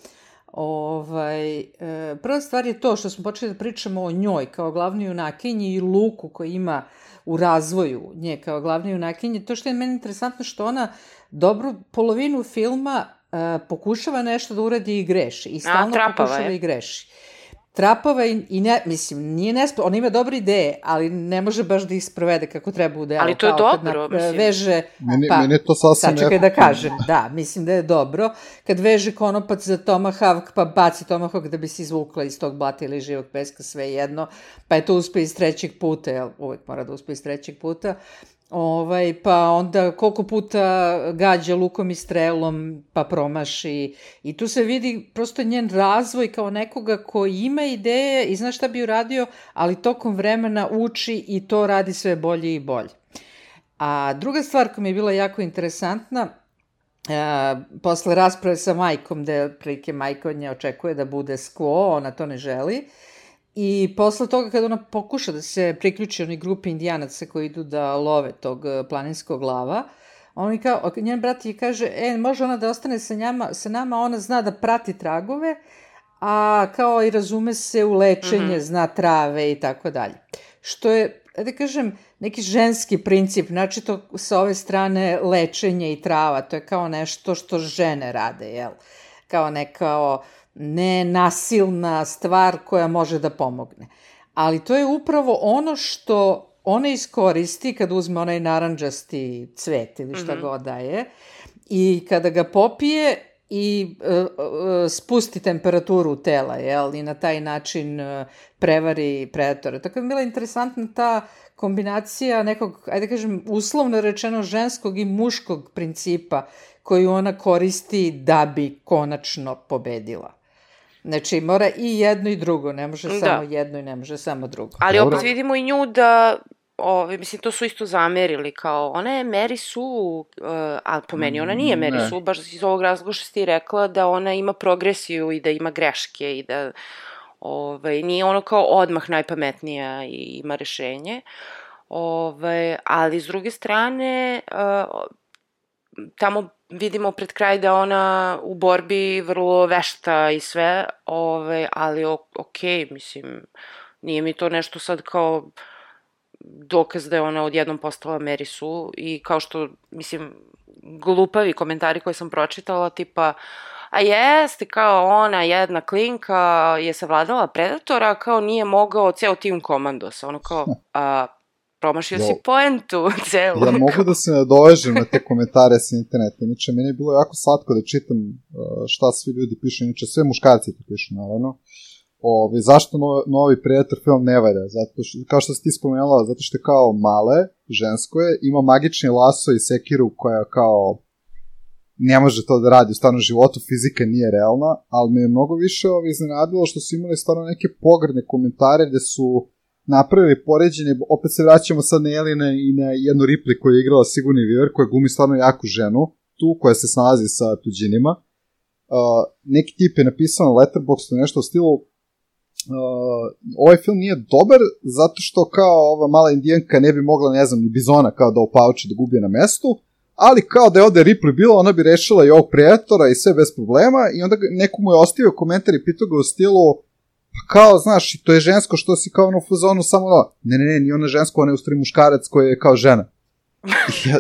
Prva stvar je to što smo počeli da pričamo o njoj kao glavnoj junakinji i Luku koji ima u razvoju nje kao glavne junakinje. To što je meni interesantno što ona dobru polovinu filma pokušava nešto da uradi i greši. I stalno pokušava i greši. Trapava i ne, mislim, nije nesposobna, ona ima dobre ideje, ali ne može baš da ih sprovede kako treba u delu. Ali to je dobro, mislim. Veže, meni je to sasvim sačekaj da kažem, da, mislim da je dobro. Kad veže konopac za Tomahawk, pa baci Tomahawk da bi se izvukla iz tog blata ili živog peska, sve jedno, pa je to uspe iz trećeg puta, jel, uvek mora da uspe iz trećeg puta, pa onda koliko puta gađa lukom i strelom pa promaši i tu se vidi prosto njen razvoj kao nekoga koji ima ideje i zna šta bi uradio, ali tokom vremena uči i to radi sve bolje i bolje. A druga stvar koja mi je bila jako interesantna, posle rasprave sa majkom, gde otprilike majka od nje očekuje da bude skvo, ona to ne želi. I posle toga kada ona pokuša da se priključi onoj grupi indijanaca koji idu da love tog planinskog lava, njen brat je kaže, može ona da ostane sa nama, ona zna da prati tragove, a kao i razume se u lečenje, zna trave i tako dalje. Što je, da kažem, neki ženski princip, znači to sa ove strane lečenje i trava, to je kao nešto što žene rade, jel? Kao nekao... nenasilna stvar koja može da pomogne. Ali to je upravo ono što ona iskoristi kad uzme onaj naranđasti cvet ili šta god daje i kada ga popije i spusti temperaturu tela, jel, i na taj način prevari predatora. Tako je bila interesantna ta kombinacija nekog, ajde kažem, uslovno rečeno ženskog i muškog principa koju ona koristi da bi konačno pobedila. Znači, mora i jedno i drugo, ne može samo jedno i ne može samo drugo. Ali opet vidimo i nju da, mislim, to su isto zamerili, kao, ona je Mary Sue, ali po meni ona nije Mary Sue, baš iz ovog razloga što si ti rekla da ona ima progresiju i da ima greške i da nije ono kao odmah najpametnija i ima rešenje. Ali s druge strane, tamo vidimo pred kraj da ona u borbi vrlo vešta i sve, ali okej, mislim, nije mi to nešto sad kao dokaz da je ona odjednom postala Mary Sue i kao što, mislim, glupavi komentari koje sam pročitala, tipa, a jeste, kao ona jedna klinka je savladala Predatora, kao nije mogao ceo tim komandosa, ono kao, promašio si poentu celu. Ja mogu da se nadovežem na te komentare sa interneta, inače meni je bilo jako slatko da čitam šta svi ljudi pišu, inače sve muškarci to pišu, naravno. Zašto novi Predator film ne valja? Zato što, kao što si ti spomenula, zato što je kao male, žensko je, ima magični laso i sekiru koja kao ne može to da radi u stvarnom životu, fizika nije realna, ali me je mnogo više iznenadilo što su imali stvarno neke pogrdne komentare gde su napravili poređenje, opet se vraćamo sad na Jelena i na jednu Ripley koju je igrala Sigourney Weaver, koja glumi stvarno jaku ženu, tu koja se snalazi sa tuđinima. Neki tip je napisao na Letterboxdu nešto u stilu ovaj film nije dobar zato što kao ova mala indijanka ne bi mogla, ne znam, ni bizona kao da opauči, da gubi na mestu, ali kao da je ovde Ripley bila, ona bi rešila i ovog Predatora i sve bez problema i onda neko mu je ostavio komentar i pitao ga u stilu Pa kao, znaš, to je žensko što si kao ono u fazonu samo ne, nije ona žensko, ona je u stvari muškarac koji je kao žena.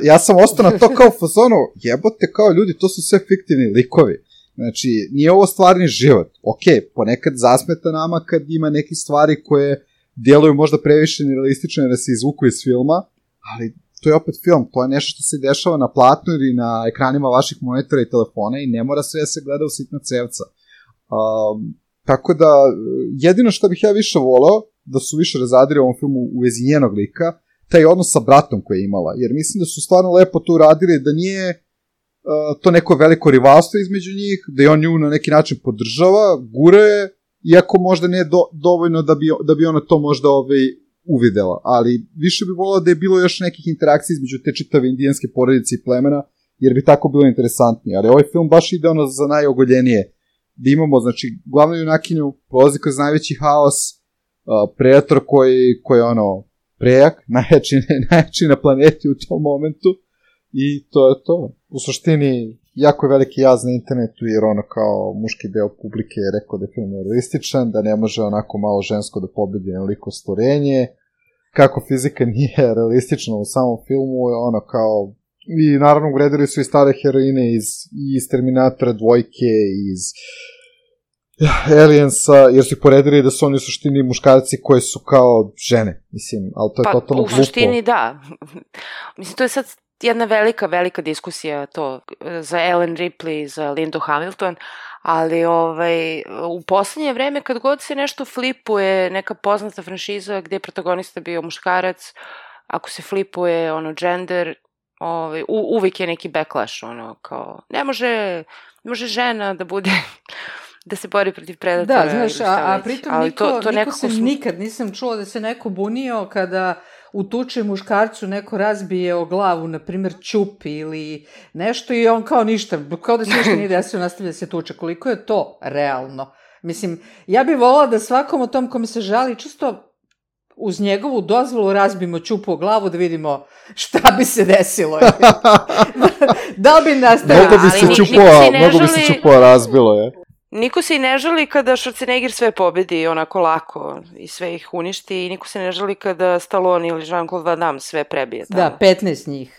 Ja sam ostao na to kao u fazonu, jebote kao ljudi, to su sve fiktivni likovi. Znači, nije ovo stvarni život. Ok, ponekad zasmeta nama kad ima neke stvari koje djeluju možda previše nerealistično da se izvuku iz filma, ali to je opet film, to je nešto što se dešava na platnu ili na ekranima vaših monitora i telefona i ne mora sve se gleda u sitna cevca. Tako da, jedino što bih ja više voleo, da su više razadili u ovom filmu u vezi njenog lika, taj odnos sa bratom koji je imala, jer mislim da su stvarno lepo to uradili, da nije to neko veliko rivalstvo između njih, da je on nju na neki način podržava, gura je, iako možda nije dovoljno da bi ona to možda uvidela, ali više bi volao da je bilo još nekih interakcija između te čitave indijanske porodice i plemena, jer bi tako bilo interesantnije, ali ovaj film baš ide ono za najogoljenije, da imamo, znači, glavnu junakinju prolazi kroz najveći haos, predator koji je ono prejak, najjači na planeti u tom momentu, i to je to. U suštini, jako je veliki jaz na internetu, jer ono kao muški deo publike je rekao da je film realističan, da ne može onako malo žensko da pobedi na liko stvorenje, kako fizika nije realistična u samom filmu, ono kao, i naravno ugredili su i stare heroine iz Terminatora dvojke, iz Aliensa, jer su ih poredili da su oni u suštini muškarci koji su kao žene, mislim, ali to je totalno glupo. U suštini da. Mislim, to je sad jedna velika diskusija to za Ellen Ripley, za Lindu Hamilton, ali u poslednje vreme kad god se nešto flipuje, neka poznata franšiza gde je protagonista bio muškarac, ako se flipuje gender, uvijek je neki backlash, kao ne može žena da bude da se bori protiv predatora. Da, znaš, a pritom niko se nikad nisam čuo da se neko bunio kada u tuči muškarcu neko razbije o glavu, na primjer ćupi ili nešto i on kao ništa, kao da se ništa nije desio, nastavlja se tuče. Koliko je to realno? Mislim, ja bih volala da svakom o tom kome se žali čisto uz njegovu dozvolu razbimo ćupu o glavu da vidimo šta bi se desilo. Da li bi nastavili? Mnogo bi se ćupo razbilo, je. Niko se i ne žali kada Schwarzenegger sve pobedi onako lako i sve ih uništi i niko se ne žali kada Stallone ili Jean-Claude Van Damme sve prebije. Tamo. Da, 15 njih,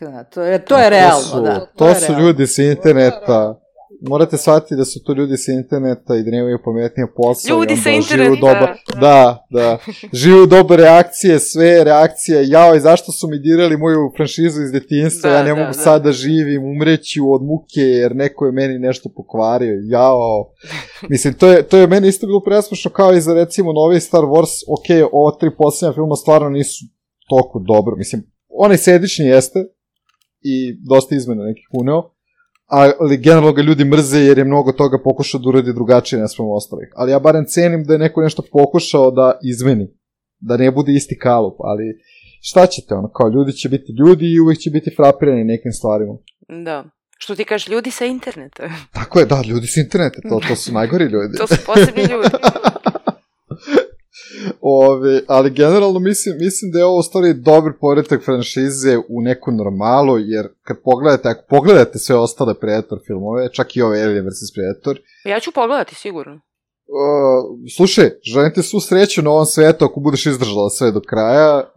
to je realno. To su ljudi sa interneta. Morate shvatiti da su to ljudi sa interneta i da nemaju pametnije posao. Ljudi sa interneta. Da. Živu dobre reakcije, sve reakcije. Jao, i zašto su mi dirali moju franšizu iz detinjstva? Ja ne mogu sad da živim, umreću od muke jer neko je meni nešto pokvario. Jao. Mislim, to je meni isto bilo presmešno kao i za recimo novi Star Wars. Ok, ova 3 posljednja filma stvarno nisu toliko dobro. Mislim, onaj sedični jeste i dosta izmena nekih uneo. Ali generalno ga ljudi mrze jer je mnogo toga pokušao da uradi drugačije naspram ostalih. Ali ja barem cenim da je neko nešto pokušao da izmeni, da ne bude isti kalup, ali šta ćete, kao ljudi će biti ljudi i uvijek će biti frapirani nekim stvarima. Da, što ti kažeš, ljudi sa interneta. Tako je, da, ljudi sa interneta, to su najgori ljudi. To su posebni ljudi. Ali generalno mislim da je ovo u stvari dobar povratak franšize u neku normalu, jer ako pogledate sve ostale Predator filmove, čak i ove Alien vs. Predator. Ja ću pogledati, sigurno. Slušaj, želim ti svu sreću na ovom svetu ako budeš izdržala sve do kraja,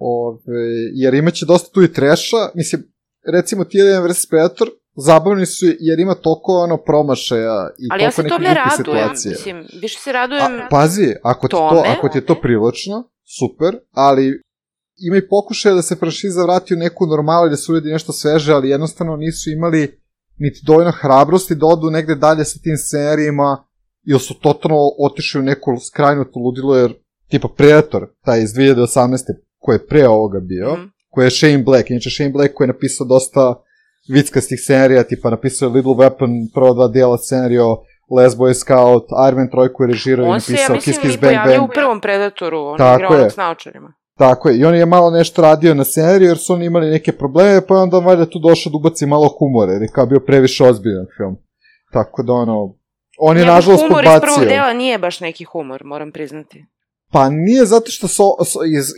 jer imaće dosta tu i treša, mislim, recimo ti Alien vs. Predator, zabavni su jer ima toliko promašaja i ali toliko nekih glupih situacije. Mislim, više se radujem pazi, ako ti je to privlačno, super, ali ima i pokušaja da se franšiza vrati u neku normalu i da se uredi nešto sveže, ali jednostavno nisu imali niti dovoljno hrabrosti da odu negde dalje sa tim scenarijima, ili su totalno otišli u neku skrajnuto ludilo, jer tipa Predator, taj iz 2018. koji je pre ovoga bio, koji je Shane Black, inače Shane Black koji je napisao dosta vickastih scenarija, tipa napisao Little Weapon, prvo 2 dijela scenario, Last Boy Scout, Iron Man 3 koji je režirao i napisao Kiss Kiss Bang Bang. On se, ja mislim, u prvom Predatoru, on je igrao onog s naočarima. Tako je, i on je malo nešto radio na scenariju jer su oni imali neke probleme, pa je onda valjda tu došao da ubaci malo humora, jer je kao bio previše ozbiljan film. Tako da on je nažalost podbacio. Humor iz prvog dela nije baš neki humor, moram priznati. Pa nije zato što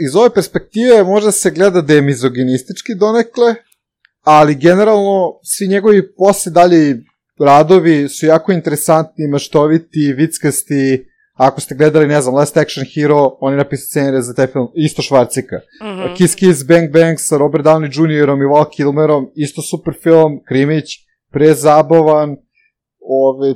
iz ove perspektive možda se gleda da je mizoginistički donekle, ali generalno svi njegovi posle dalje radovi su jako interesantni, maštoviti, vickasti, ako ste gledali, ne znam, Last Action Hero, on je napisao scenarij za taj film, isto Švarcika. Kiss Kiss Bang Bang sa Robert Downey Jr. i Val Kilmerom, isto super film, krimić, prezabavan,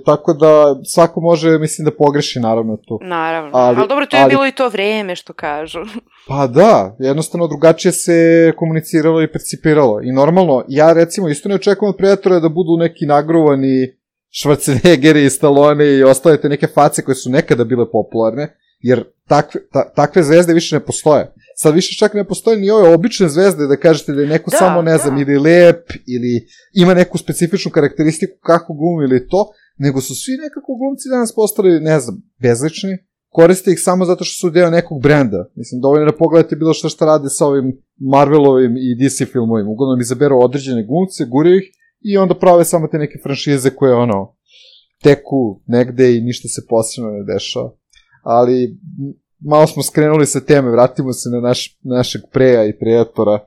tako da svako može, mislim, da pogreši naravno tu. Naravno, ali dobro, to je bilo i to vreme, što kažu. Pa da, jednostavno drugačije se komuniciralo i percipiralo. I normalno, ja recimo isto ne očekujem od Predatora da budu neki nagruvani Schwarzeneggeri i Stallone i ostale te neke face koje su nekada bile popularne, jer takve zvezde više ne postoje. Sad više čak ne postoje ni ove obične zvezde da kažete da je neko samo, ne znam, ili lep, ili ima neku specifičnu karakteristiku kako glumi ili to, nego su svi nekako glumci danas postali, ne znam, bezlični, koriste ih samo zato što su deo nekog brenda. Mislim, dovoljno da pogledate bilo šta rade sa ovim Marvelovim i DC filmovima. Uglavnom izaberu određene glumce, guraju ih i onda prave samo te neke franšize koje, teku negde i ništa se posebno ne dešava. Ali malo smo skrenuli sa teme, vratimo se na našeg Preja i Predatora.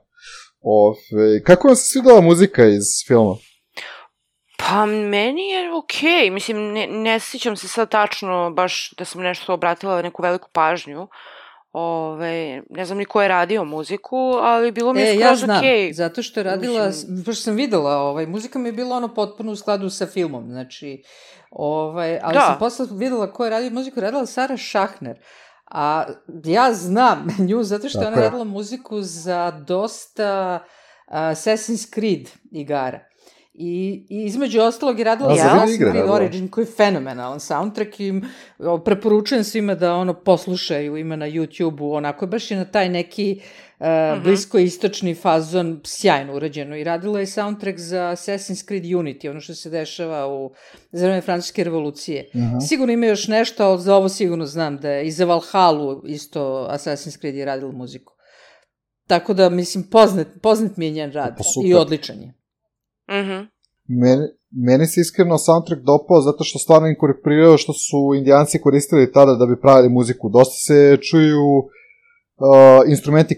Kako vam se svidela muzika iz filma? Pa meni je okej, mislim, ne sjećam se sad tačno baš da sam nešto obratila neku veliku pažnju. Ne znam ni ko je radio muziku, ali bilo mi je skroz okej. Ja znam, zato što je radila, pošto sam videla, muzika mi je bila potpuno u skladu sa filmom, znači, ali sam posle videla ko je radio muziku, radila Sara Šahner, a ja znam nju zato što je ona radila muziku za dosta Assassin's Creed igara. I između ostalog je radila Assassin's Creed Origin, koji je fenomenalan soundtrack i preporučujem svima da poslušaju, ima na YouTube-u, onako baš je na taj neki bliskoistočni fazon sjajno urađeno i radila je soundtrack za Assassin's Creed Unity, ono što se dešava za vreme Francuske revolucije. Sigurno ima još nešto, ali za ovo sigurno znam da je i za Valhallu isto Assassin's Creed je radila muziku. Tako da, mislim, poznat mi je njen rad i odličan je. Meni se iskreno soundtrack dopao zato što stvarno inkorporirao što su Indijanci koristili tada da bi pravili muziku. Dosta se čuju instrumenti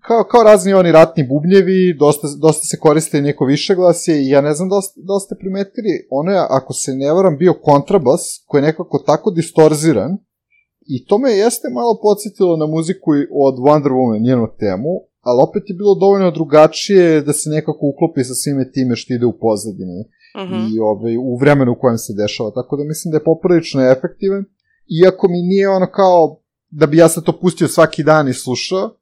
kao razni oni ratni bubnjevi, dosta se koriste neko višeglasje i ja ne znam da ste primetili, ono je, ako se ne varam, bio kontrabas koji je nekako tako distorziran i to me jeste malo podsjetilo na muziku od Wonder Woman, njenu temu, ali opet je bilo dovoljno drugačije da se nekako uklopi sa svime time što ide u pozadini i u vremenu u kojem se dešava, tako da mislim da je poprilično efektivan, iako mi nije kao da bi ja sad to pustio svaki dan i slušao,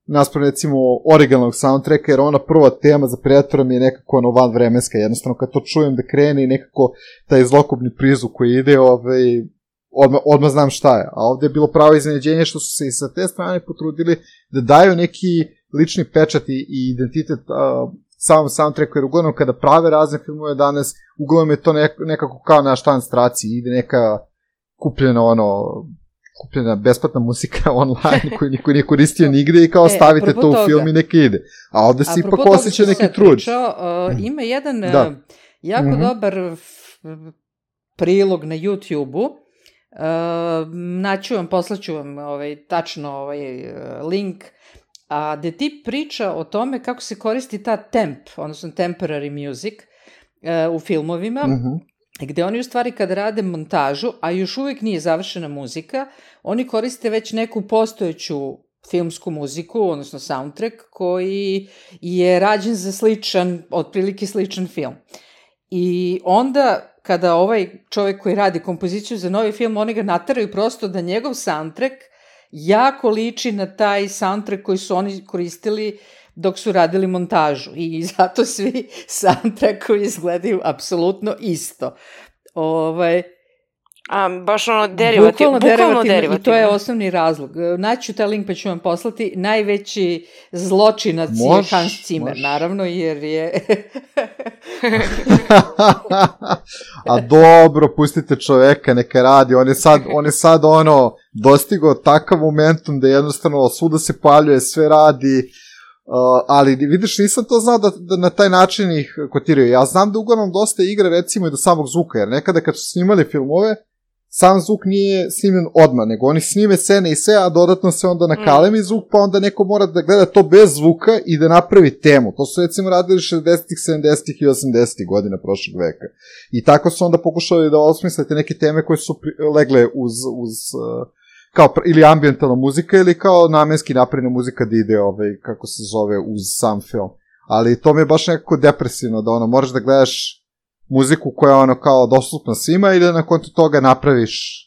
naspram recimo originalnog soundtracka, jer ona prva tema za Predatora mi je nekako vanvremenska, jednostavno kad to čujem da krene i nekako taj zlokobni prizvuk koji ide, odmah znam šta je, a ovde je bilo pravo iznenađenje što su se i sa te strane potrudili da daju neki lični pečat i identitet samom soundtracku, jer uglavnom kada prave razne filmove danas, uglavnom je to nekako kao na štanstraciji, ide neka kupljena besplatna muzika online koju niko nije koristio nigde i kao stavite to u film i neka ide. A ovde se ipak osjeća neki trud. Ima jedan jako dobar prilog na YouTube-u, naću vam, poslaću vam tačno link, gde ti priča o tome kako se koristi ta temp, odnosno temporary music u filmovima, gde oni u stvari kada rade montažu, a još uvijek nije završena muzika, oni koriste već neku postojeću filmsku muziku, odnosno soundtrack, koji je rađen za otprilike sličan film. I onda kada ovaj čovjek koji radi kompoziciju za novi film, oni ga nateraju prosto da njegov soundtrack jako liči na taj soundtrack koji su oni koristili dok su radili montažu. I zato svi soundtrackovi izgledaju apsolutno isto. Baš derivativno. I to je osnovni razlog. Naću taj link pa ću vam poslati. Najveći zločinac je Hans Zimmer, naravno, jer je... A dobro, pustite čoveka, neka radi. On je sad dostigao takav momentum da jednostavno svuda se paljuje, sve radi, ali vidiš, nisam to znao da na taj način ih kotiraju. Ja znam da uglavnom dosta igra recimo i do samog zvuka, jer nekada kad su snimali filmove, sam zvuk nije snimljen odmah, nego oni snime scene i sve, a dodatno se onda nakalemi zvuk, pa onda neko mora da gleda to bez zvuka i da napravi temu. To su recimo radili 60-ih, 70-ih i 80-ih godina prošlog veka. I tako su onda pokušali da osmislite neke teme koje su legle uz kao ili ambijentalna muzika ili kao namenski napravljena muzika da ide kako se zove uz sam film. Ali to mi je baš nekako depresivno da moraš da gledaš muziku koja je kao dostupna svima i da na kontu toga napraviš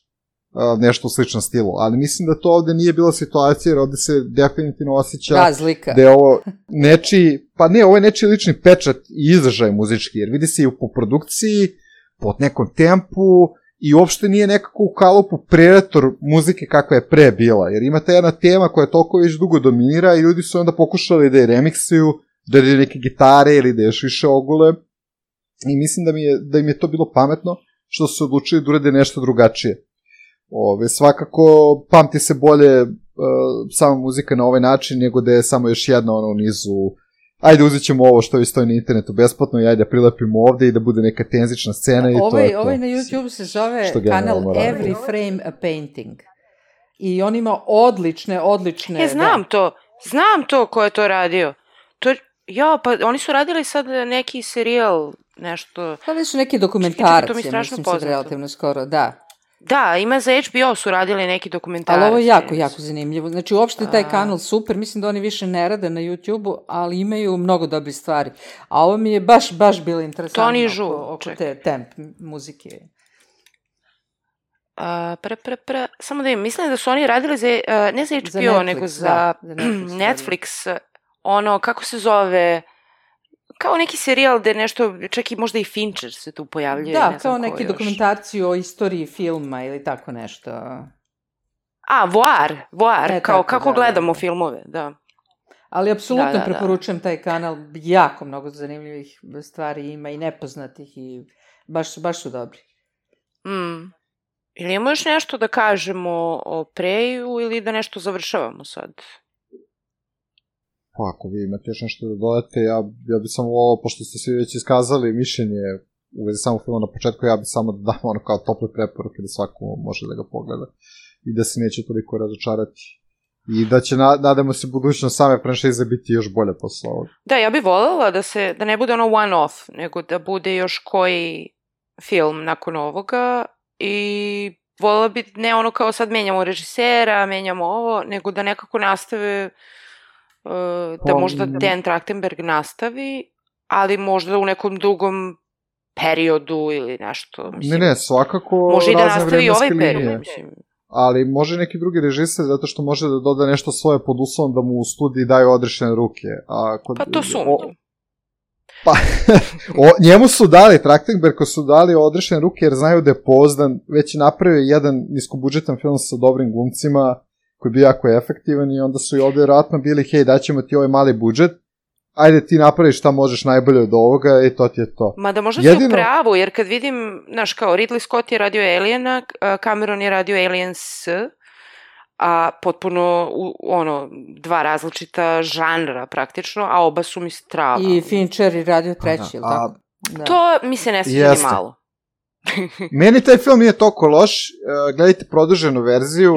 nešto u sličnom stilu. Ali mislim da to ovde nije bila situacija, jer ovde se definitivno osjeća da je ovo nečiji, pa ne, ovo je nečiji lični pečat i izražaj muzički, jer vidi se i u poprodukciji, pod nekom tempu i uopšte nije nekako u kalupu Predator muzike kakva je pre bila, jer ima ta jedna tema koja toliko već dugo dominira i ljudi su onda pokušali da je remiksuju, da je neke gitare ili da je još više ogule. I mislim da im je to bilo pametno, što su odlučili da urade nešto drugačije. Svakako, pamti se bolje sama muzika na ovaj način, nego da je samo još jedna u nizu, ajde uzet ćemo ovo što stoji na internetu besplatno i ajde prilepimo ovde i da bude neka tenzična scena i to je to. Ovaj na YouTube se zove kanal Every Frame a Painting. I on ima odlične... Znam to ko je to radio. Pa oni su radili sad neki serijal, nešto... Radili su neki dokumentarac, mislim sad relativno skoro, da. Da, ima za HBO su radili neki dokumentarac. Ali ovo je jako zanimljivo. Znači, uopšte taj kanal super, mislim da oni više ne rade na YouTube-u, ali imaju mnogo dobrih stvari. A ovo mi je baš bilo interesantno oko te temp muzike. Samo da im mislim da su oni radili ne za HBO, Netflix, nego za Netflix, kako se zove, kao neki serijal gde nešto, čak i možda i Fincher se tu pojavljuje. Da, kao neki dokumentarciju o istoriji filma ili tako nešto. Voir, kao kako gledamo filmove, da. Ali apsolutno preporučujem taj kanal, jako mnogo zanimljivih stvari ima i nepoznatih i baš su dobri. Ili imamo još nešto da kažemo o Preju ili da nešto završavamo sad? Pa ako vi imate još nešto da dodate, ja bi samo volao, pošto ste svi već iskazali mišljenje u vezi samog filma na početku, ja bi samo da dam kao tople preporuke da svako može da ga pogleda i da se neće toliko razočarati. I da će, nadamo se, budućnost same franšize biti još bolje posle ovoga. Da, ja bih voljela da ne bude one off, nego da bude još koji film nakon ovoga i voljela bi ne kao sad menjamo režisera, menjamo ovo, nego da nekako nastave... da možda Dan Trachtenberg nastavi, ali možda u nekom drugom periodu ili nešto. Ne, svakako može i da nastavi ovaj period. Ali može neki drugi režiser, zato što može da doda nešto svoje pod uslovom da mu u studiji daju odrešene ruke. Pa to sumnjam. Pa, njemu su dali, Trachtenbergu su dali odrešene ruke jer znaju da je pouzdan, već je napravio jedan niskobudžetan film sa dobrim glumcima, koji je bio jako efektivan i onda su i ovde vjerojatno bili, hej, daćemo ti ovaj mali budžet, ajde ti napraviš šta možeš najbolje od ovoga i to ti je to. Ma da možda si u pravu, jer kad vidim, znaš, kao Ridley Scott je radio Aliena, Cameron je radio Aliens, a potpuno, dva različita žanra praktično, a oba su mi strava. I Fincher je radio treći, ili tako? To mi se ne sviđa ni malo. Meni taj film nije toliko loš, gledajte produženu verziju,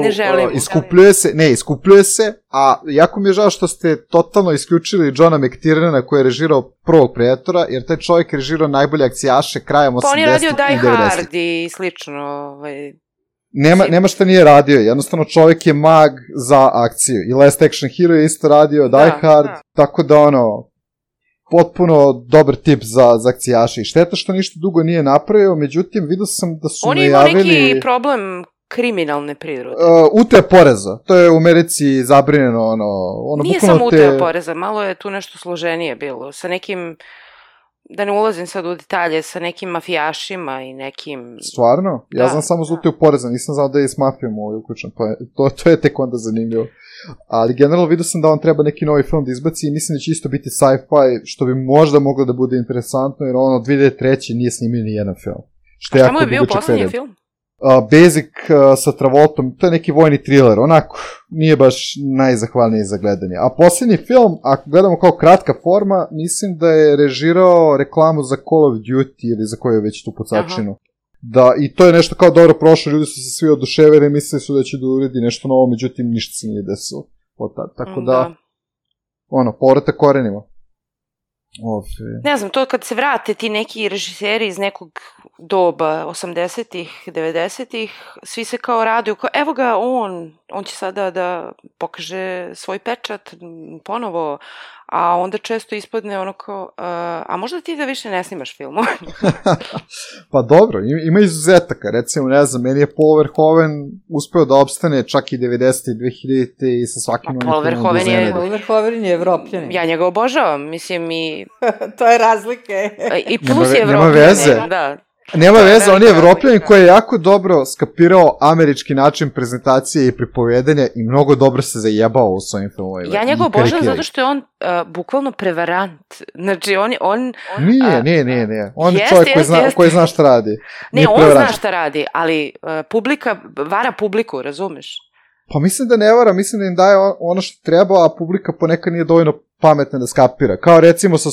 iskupljuje se, a jako mi je žao što ste totalno isključili Johna McTiernana koji je režirao prvog Predatora, jer taj čovjek je režirao najbolje akcijaše krajem 80-ih i 90-ih. Pa on je radio Die Hard i slično. Nema šta nije radio, jednostavno čovjek je mag za akciju. I Last Action Hero je isto radio, Die Hard, tako da potpuno dobar tip za akcijaše. I šteta što ništa dugo nije napravio, međutim, vidio sam da su najavili... On ima neki problem kriminalne prirode. Utaja poreza. To je u Americi zabrinjeno. Nije samo utaja poreza, malo je tu nešto složenije bilo. Sa nekim, da ne ulazim sad u detalje, sa nekim mafijašima i nekim... Stvarno? Ja znam samo za utaju poreza, nisam znao da je s mafijom uključen. To je tek onda zanimljivo. Ali generalno vidio sam da on treba neki novi film da izbaci i mislim da će isto biti sci-fi, što bi možda moglo da bude interesantno, jer 2003. nije snimio ni jedan film. A šta mu je bio poslednji film? Basic sa Travoltom, to je neki vojni thriller, onako, nije baš najzahvalniji za gledanje. A poslednji film, ako gledamo kao kratka forma, mislim da je režirao reklamu za Call of Duty ili za koju je već tu pocačinu. da, i to je nešto kao dobro prošlo, ljudi su se svi oduševili, mislili su da će da uredi nešto novo, međutim ništa se nije desilo od tada, tako da, povratak korenima. Ne znam, to kad se vrate ti neki režiseri iz nekog doba, 80-ih, 90-ih, svi se kao raduju, kao evo ga on će sada da pokaže svoj pečat ponovo, a onda često ispadne ono kao, a možda ti da više ne snimaš filmove? Pa dobro, ima izuzetaka, recimo, ne znam, meni je Paul Verhoeven uspeo da opstane čak i 90. i 2000. i sa svakim Paul Verhoeven je Evropljanin. Ja njega obožavam, mislim i... To je razlike. I plus je Evropljanin. Nema veze. Da. Nema veze, on je Evropljanin koji je jako dobro skapirao američki način prezentacije i pripovedanja i mnogo dobro se zajebao u svojim filmovima. Ja njega obožavam zato što je on bukvalno prevarant. Znači, on... Nije. On je čovjek koji zna šta radi. Ne, on zna šta radi, ali publika vara publiku, razumeš? Pa mislim da ne vara, mislim da im daje ono što treba, a publika ponekad nije dovoljno pametna da skapira. Kao recimo sa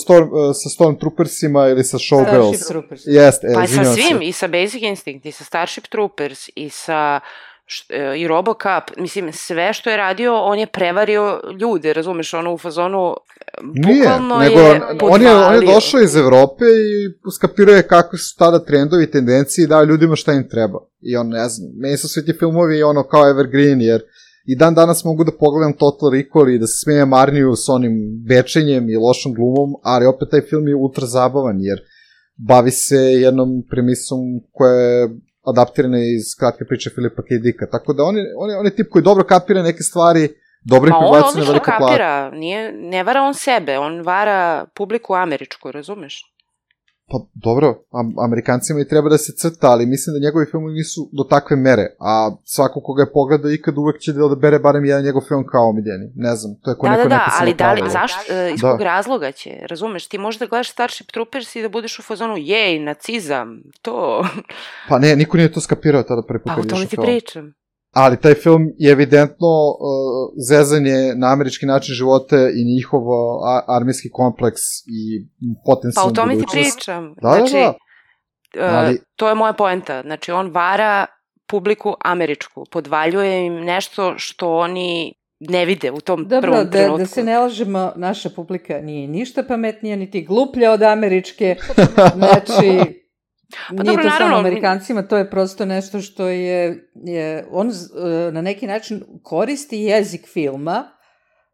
Stormtroopersima ili sa Showgirls. Starship Troopers. Pa sa svim, i sa Basic Instinct, i sa Starship Troopers, i sa i Robocop, mislim, sve što je radio, on je prevario ljude, razumeš, ono u fazonu, bukvalno nego on je došao iz Evrope i skapirao je kakvi su tada trendovi i tendencije i dao ljudima šta im treba. I on, ne znam, meni su svi ti filmovi ono kao evergreen, jer i dan danas mogu da pogledam Total Recall i da se smijem Arniju s onim bečenjem i lošom glumom, ali opet taj film je ultra zabavan, jer bavi se jednom premisom koja je adaptirana iz kratke priče Filipa K. Dicka, tako da on je tip koji dobro kapira neke stvari, dobro ih prebaci na veliko platu. On kapira, ne vara on sebe, on vara publiku američku, razumeš? Pa dobro, Amerikancima i treba da se crta, ali mislim da njegovi filmovi nisu do takve mere, a svako koga je pogleda ikad uvek će da odabere barem jedan njegov film kao omiljeni, ne znam, to je ko neko neko ali da li, zašto, iz kog razloga će, razumeš, ti možeš da gledaš Starship Troopers i da budeš u fazonu, jej, nacizam, to... Pa ne, niko nije to skapirao tada prvi put kad išao film. Pa o tome ti pričam. Ali taj film je evidentno zezanje na američki način života i njihov armijski kompleks i potencijalnu budućnost. Pa o tome ti pričam. Znači, to je moja poenta. Znači, on vara publiku američku, podvaljuje im nešto što oni ne vide u tom prvom trenutku. Da se ne lažemo, naša publika nije ništa pametnija, niti gluplja od američke. Znači... Nije to samo Amerikancima, to je prosto nešto što je on na neki način koristi jezik filma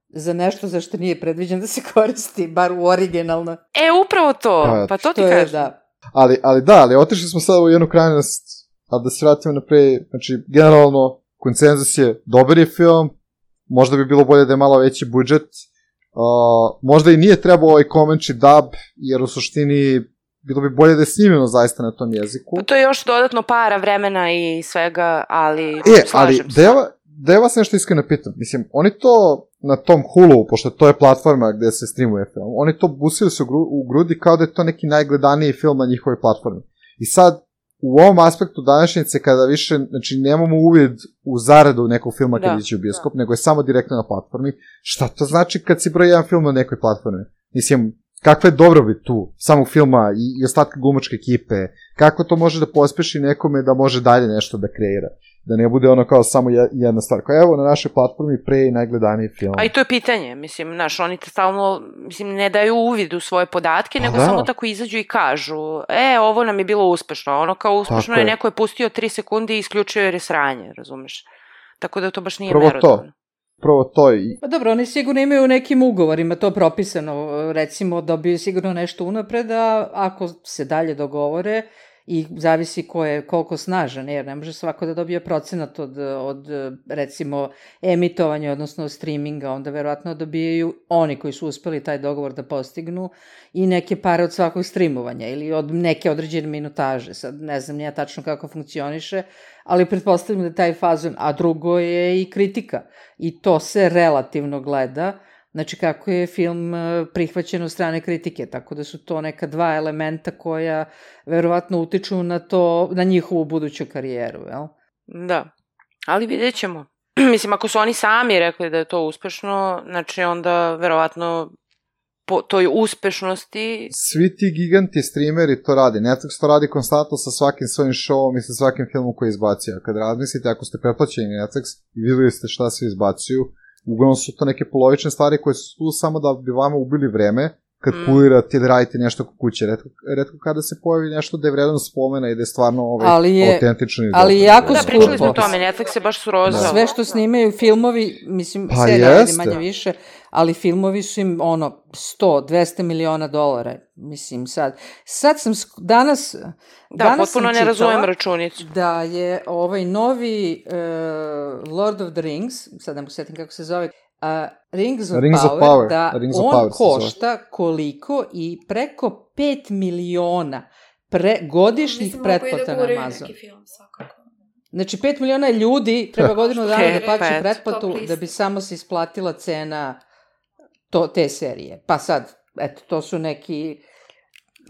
za nešto za što nije predviđen da se koristi, bar u originalno. Upravo to, pa to ti kažem. Ali otišli smo sad u jednu krajnost, a da se vratimo naprej, znači, generalno, konsenzus je, dobar je film, možda bi bilo bolje da je malo veći budžet, možda i nije trebao ovaj Comanche dub, jer u suštini bilo bi bolje da je snimljeno zaista na tom jeziku. Pa to je još dodatno para vremena i svega, ali slažem se. Da ja vas nešto iskreno pitam, mislim, oni to na tom Hulu, pošto to je platforma gde se streamuje film, oni to busili se u grudi kao da je to neki najgledaniji film na njihovoj platformi. I sad, u ovom aspektu današnjice, kada više, znači, nemamo uvid u zaradu nekog filma kad ići u bioskop, nego je samo direktno na platformi, šta to znači kad si broj jedan film na nekoj platformi? Mislim, kakva je dobrobit tu, samog filma i ostatka glumačke ekipe, kako to može da pospeši nekome da može dalje nešto da kreira, da ne bude ono kao samo jedna stvar, kao evo na našoj platformi pre i najgledaniji film. A i to je pitanje, mislim, znaš, oni te stalno, mislim, ne daju uvid u svoje podatke, nego samo tako izađu i kažu, ovo nam je bilo uspešno, ono kao uspešno je, neko je pustio 3 sekunde i isključio jer je sranje, razumeš? Tako da to baš nije merodavno. Prvo to i... Pa dobro, oni sigurno imaju u nekim ugovorima to propisano, recimo dobiju sigurno nešto unapred, a ako se dalje dogovore i zavisi koliko snažan, jer ne može svako da dobije procenat od recimo emitovanja, odnosno od streaminga, onda verovatno dobijaju oni koji su uspeli taj dogovor da postignu i neke pare od svakog streamovanja ili od neke određene minutaže. Sad ne znam nija tačno kako funkcioniše, ali pretpostavljam da taj fazon, a drugo je i kritika i to se relativno gleda, znači kako je film prihvaćen od strane kritike, tako da su to neka dva elementa koja verovatno utiču na njihovu buduću karijeru, jel? Da, ali vidjet ćemo. Mislim, ako su oni sami rekli da je to uspešno, znači onda verovatno po toj uspešnosti. Svi ti giganti streameri to radi. Netflix to radi konstantno sa svakim svojim showom i sa svakim filmom koji izbacio. Kad razmislite, ako ste pretplaćeni Netflix i videli ste šta svi izbacuju, uglavnom su to neke polovične stvari koje su tu samo da bi vama ubili vreme kad kulirate ili radite nešto kod kuće. Retko kada se pojavi nešto da je vredno spomena i da je stvarno autentično. Ali jako skupo. Da, pričali smo o tome, Netflix je baš surozao. Sve što snimaju filmovi, mislim, serija je manje više, ali filmovi su im 100-200 miliona dolara, mislim sad sam danas potpuno ne razumem računicu. Da je ovaj novi Lord of the Rings, sad ne mogu sjetim kako se zove, Rings of Power, da on košta koliko i preko 5 miliona godišnjih pretplata na Amazon. Znači 5 miliona ljudi treba godinu dana da plaći pretplatu da bi samo se isplatila cena te serije. Pa sad, eto, to su neki...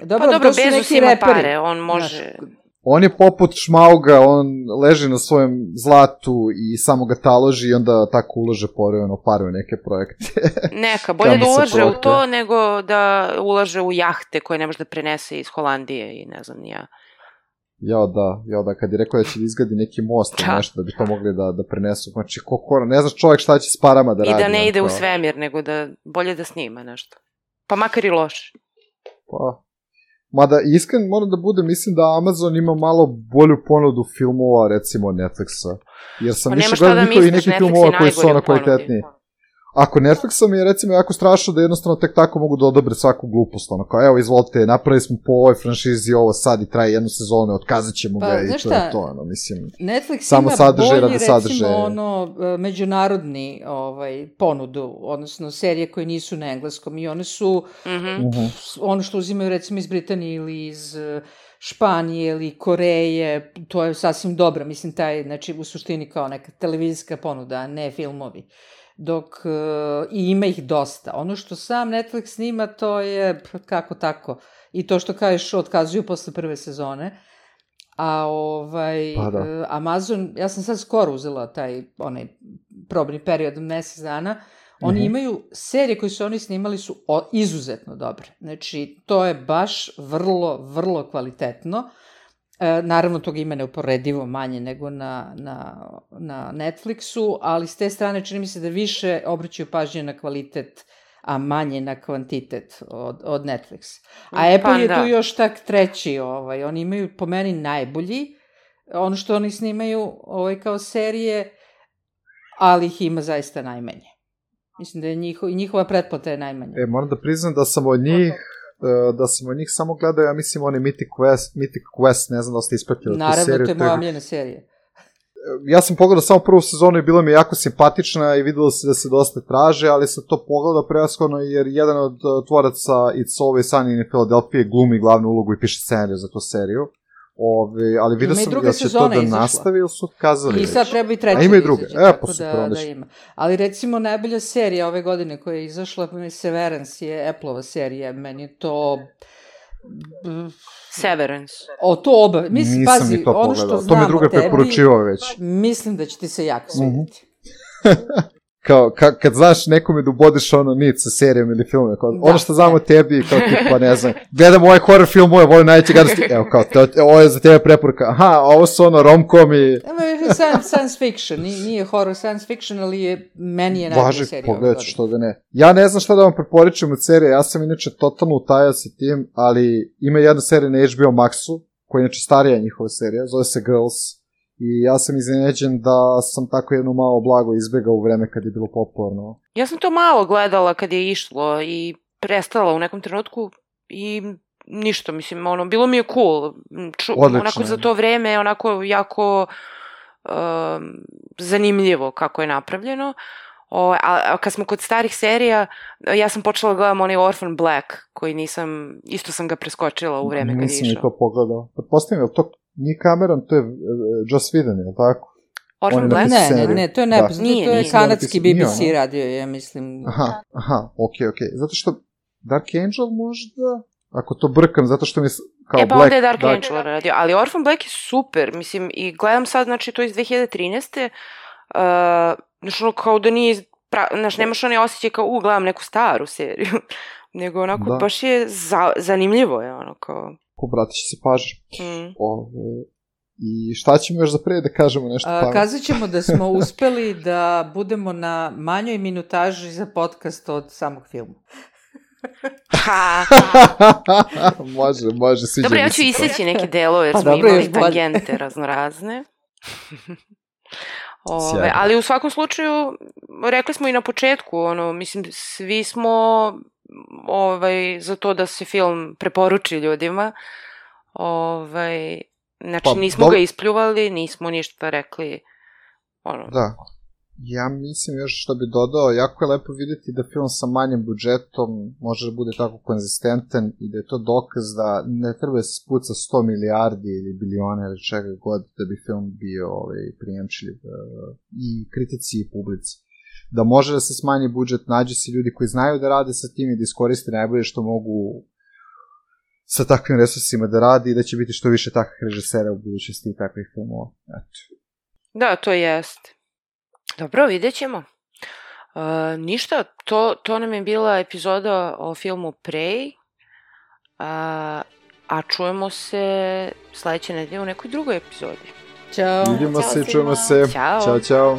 Dobro, Bezos ima pare, on može... On je poput Šmauga, on leži na svojem zlatu i samo ga taloži i onda tako ulaže porevno pare u neke projekte. Neka, bolje da ulaže u to nego da ulaže u jahte koje ne može da prenese iz Holandije i ne znam ni ja. Ja da, kad je rekao da će izgradi neki most ili nešto da bi to mogli da prenesu. Znači, ne znaš čovjek šta će s parama da radi. I da ne ide u svemir, nego da bolje da snima nešto. Pa makar i loše. Pa... Mada, iskreno moram da budem, mislim da Amazon ima malo bolju ponudu filmova, recimo Netflixa. Jer sam više gledao njihovi neki filmova koji su kvalitetniji. Ako Netflixom je, recimo, jako strašno da jednostavno tek tako mogu da odobre svaku glupost. Kao, evo, izvolite, napravili smo po ovoj franšizi ovo sad i traje jednu sezonu, otkazat ćemo ga i to je to, mislim. Netflix samo ima bolji, recimo, međunarodni ponudu, odnosno serije koje nisu na engleskom i one su ono što uzimaju, recimo, iz Britanije ili iz Španije ili Koreje, to je sasvim dobro, mislim, znači, u suštini kao neka televizijska ponuda, a ne filmovi. Dok i ima ih dosta. Ono što sam Netflix snima, to je kako tako. I to što kažeš, otkazuju posle prve sezone. A Amazon, ja sam sad skoro uzela onaj probni period mesec dana, oni imaju, serije koje su oni snimali su izuzetno dobre. Znači, to je baš vrlo, vrlo kvalitetno. Naravno, toga ima neuporedivo manje nego na Netflixu, ali s te strane čini mi se da više obraćaju pažnje na kvalitet, a manje na kvantitet od Netflixa. A Apple je tu još tak treći, oni imaju po meni najbolji, ono što oni snimaju kao serije, ali ih ima zaista najmanje. Mislim da je njihova pretplata je najmanja. Moram da priznam da sam od njih samo gledao, ja mislim, oni Mythic Quest, ne znam da ste ispratili tu seriju. Naravno, to je moja omiljena serija. Ja sam pogledao samo prvu sezonu i bila mi jako simpatična i videlo se da se dosta traže, ali sam to pogledao prevashodno jer jedan od tvoraca It's Always Sunny in Philadelphia glumi glavnu ulogu i piše scenariju za tu seriju. Ali vidio sam da će to da nastavi ili su kazali. I sad treba i treća ima i druge. Tako da ima. Ali recimo najbolja serija ove godine koja je izašla, Severance je Apple-ova serija, meni je to... Severance. To oba. Mislim, pazi, ni to ono što pogledao. znam to mi druga preporučivao već. Mislim da će ti se jako svidjeti. Kao, kad znaš nekome da ubodeš nit sa serijom ili filmom, ono što znam o tebi, kao tipa, ne znam, gledam ovaj horror film, volim najveće gadosti, evo kao, ovo je za tebe preporuka, aha, ovo su rom-com i... Science fiction, nije horror science fiction, ali meni je najbolja serija. Važi, pogledaj što da ne. Ja ne znam šta da vam preporučujem od serije, ja sam inače totalno utajao sa tim, ali ima jedna serija na HBO Maxu, koja je inače starija njihova serija, zove se Girls. I ja sam iznenađen da sam tako jedno malo blago izbegao u vreme kad je bilo popularno. Ja sam to malo gledala kad je išlo i prestala u nekom trenutku i ništa, mislim, bilo mi je cool. Onako za to vreme, onako jako zanimljivo kako je napravljeno. A kad smo kod starih serija, ja sam počela gledam onaj Orphan Black, koji isto sam ga preskočila u vreme kad je išao. Nisam ni to pogledao. Pretpostavljam, je li to nije Cameron, to je Joss Whedon, je li tako? Orphan Black? Ne, to je nepoznato, to je kanadski BBC radio, ja mislim. Aha, okej. Zato što Dark Angel možda, ako to brkam, zato što mi kao Black... pa onda je Dark Angel radio, ali Orphan Black je super, mislim, i gledam sad, znači, to iz 2013. Znači, kao da nije znaš, nemaš onaj osjećaj kao, gledam neku staru seriju, nego onako baš je zanimljivo je ono kao... Pobratit će se pažnja. I šta ćemo još za pre da kažemo nešto pametno? Kazat ćemo da smo uspeli da budemo na manjoj minutaži za podcast od samog filma. Može, sviđa. Dobro, ja ću iseći neke delove, jer smo imali tangente raznorazne. Ali u svakom slučaju, rekli smo i na početku, mislim, svi smo za to da se film preporuči ljudima. Znači, nismo ga ispljuvali, nismo ništa rekli. Da. Ja mislim još što bi dodao, jako je lepo vidjeti da film sa manjim budžetom može da bude tako konzistentan i da je to dokaz da ne treba da se spuca 100 milijardi ili biliona ili čega god da bi film bio prijemčljiv i kritici i publici. Da može da se smanji budžet, nađe se ljudi koji znaju da rade sa tim i da iskoriste najbolje što mogu sa takvim resursima da radi i da će biti što više takvih režisera u budućnosti i takvih filmova. Da, to jest. Dobro, vidjet ćemo. Ništa, to nam je bila epizoda o filmu Prey, a čujemo se sledeće nedelje u nekoj drugoj epizodi. Ćao. Vidimo se, čujemo se. Ćao. Ćao.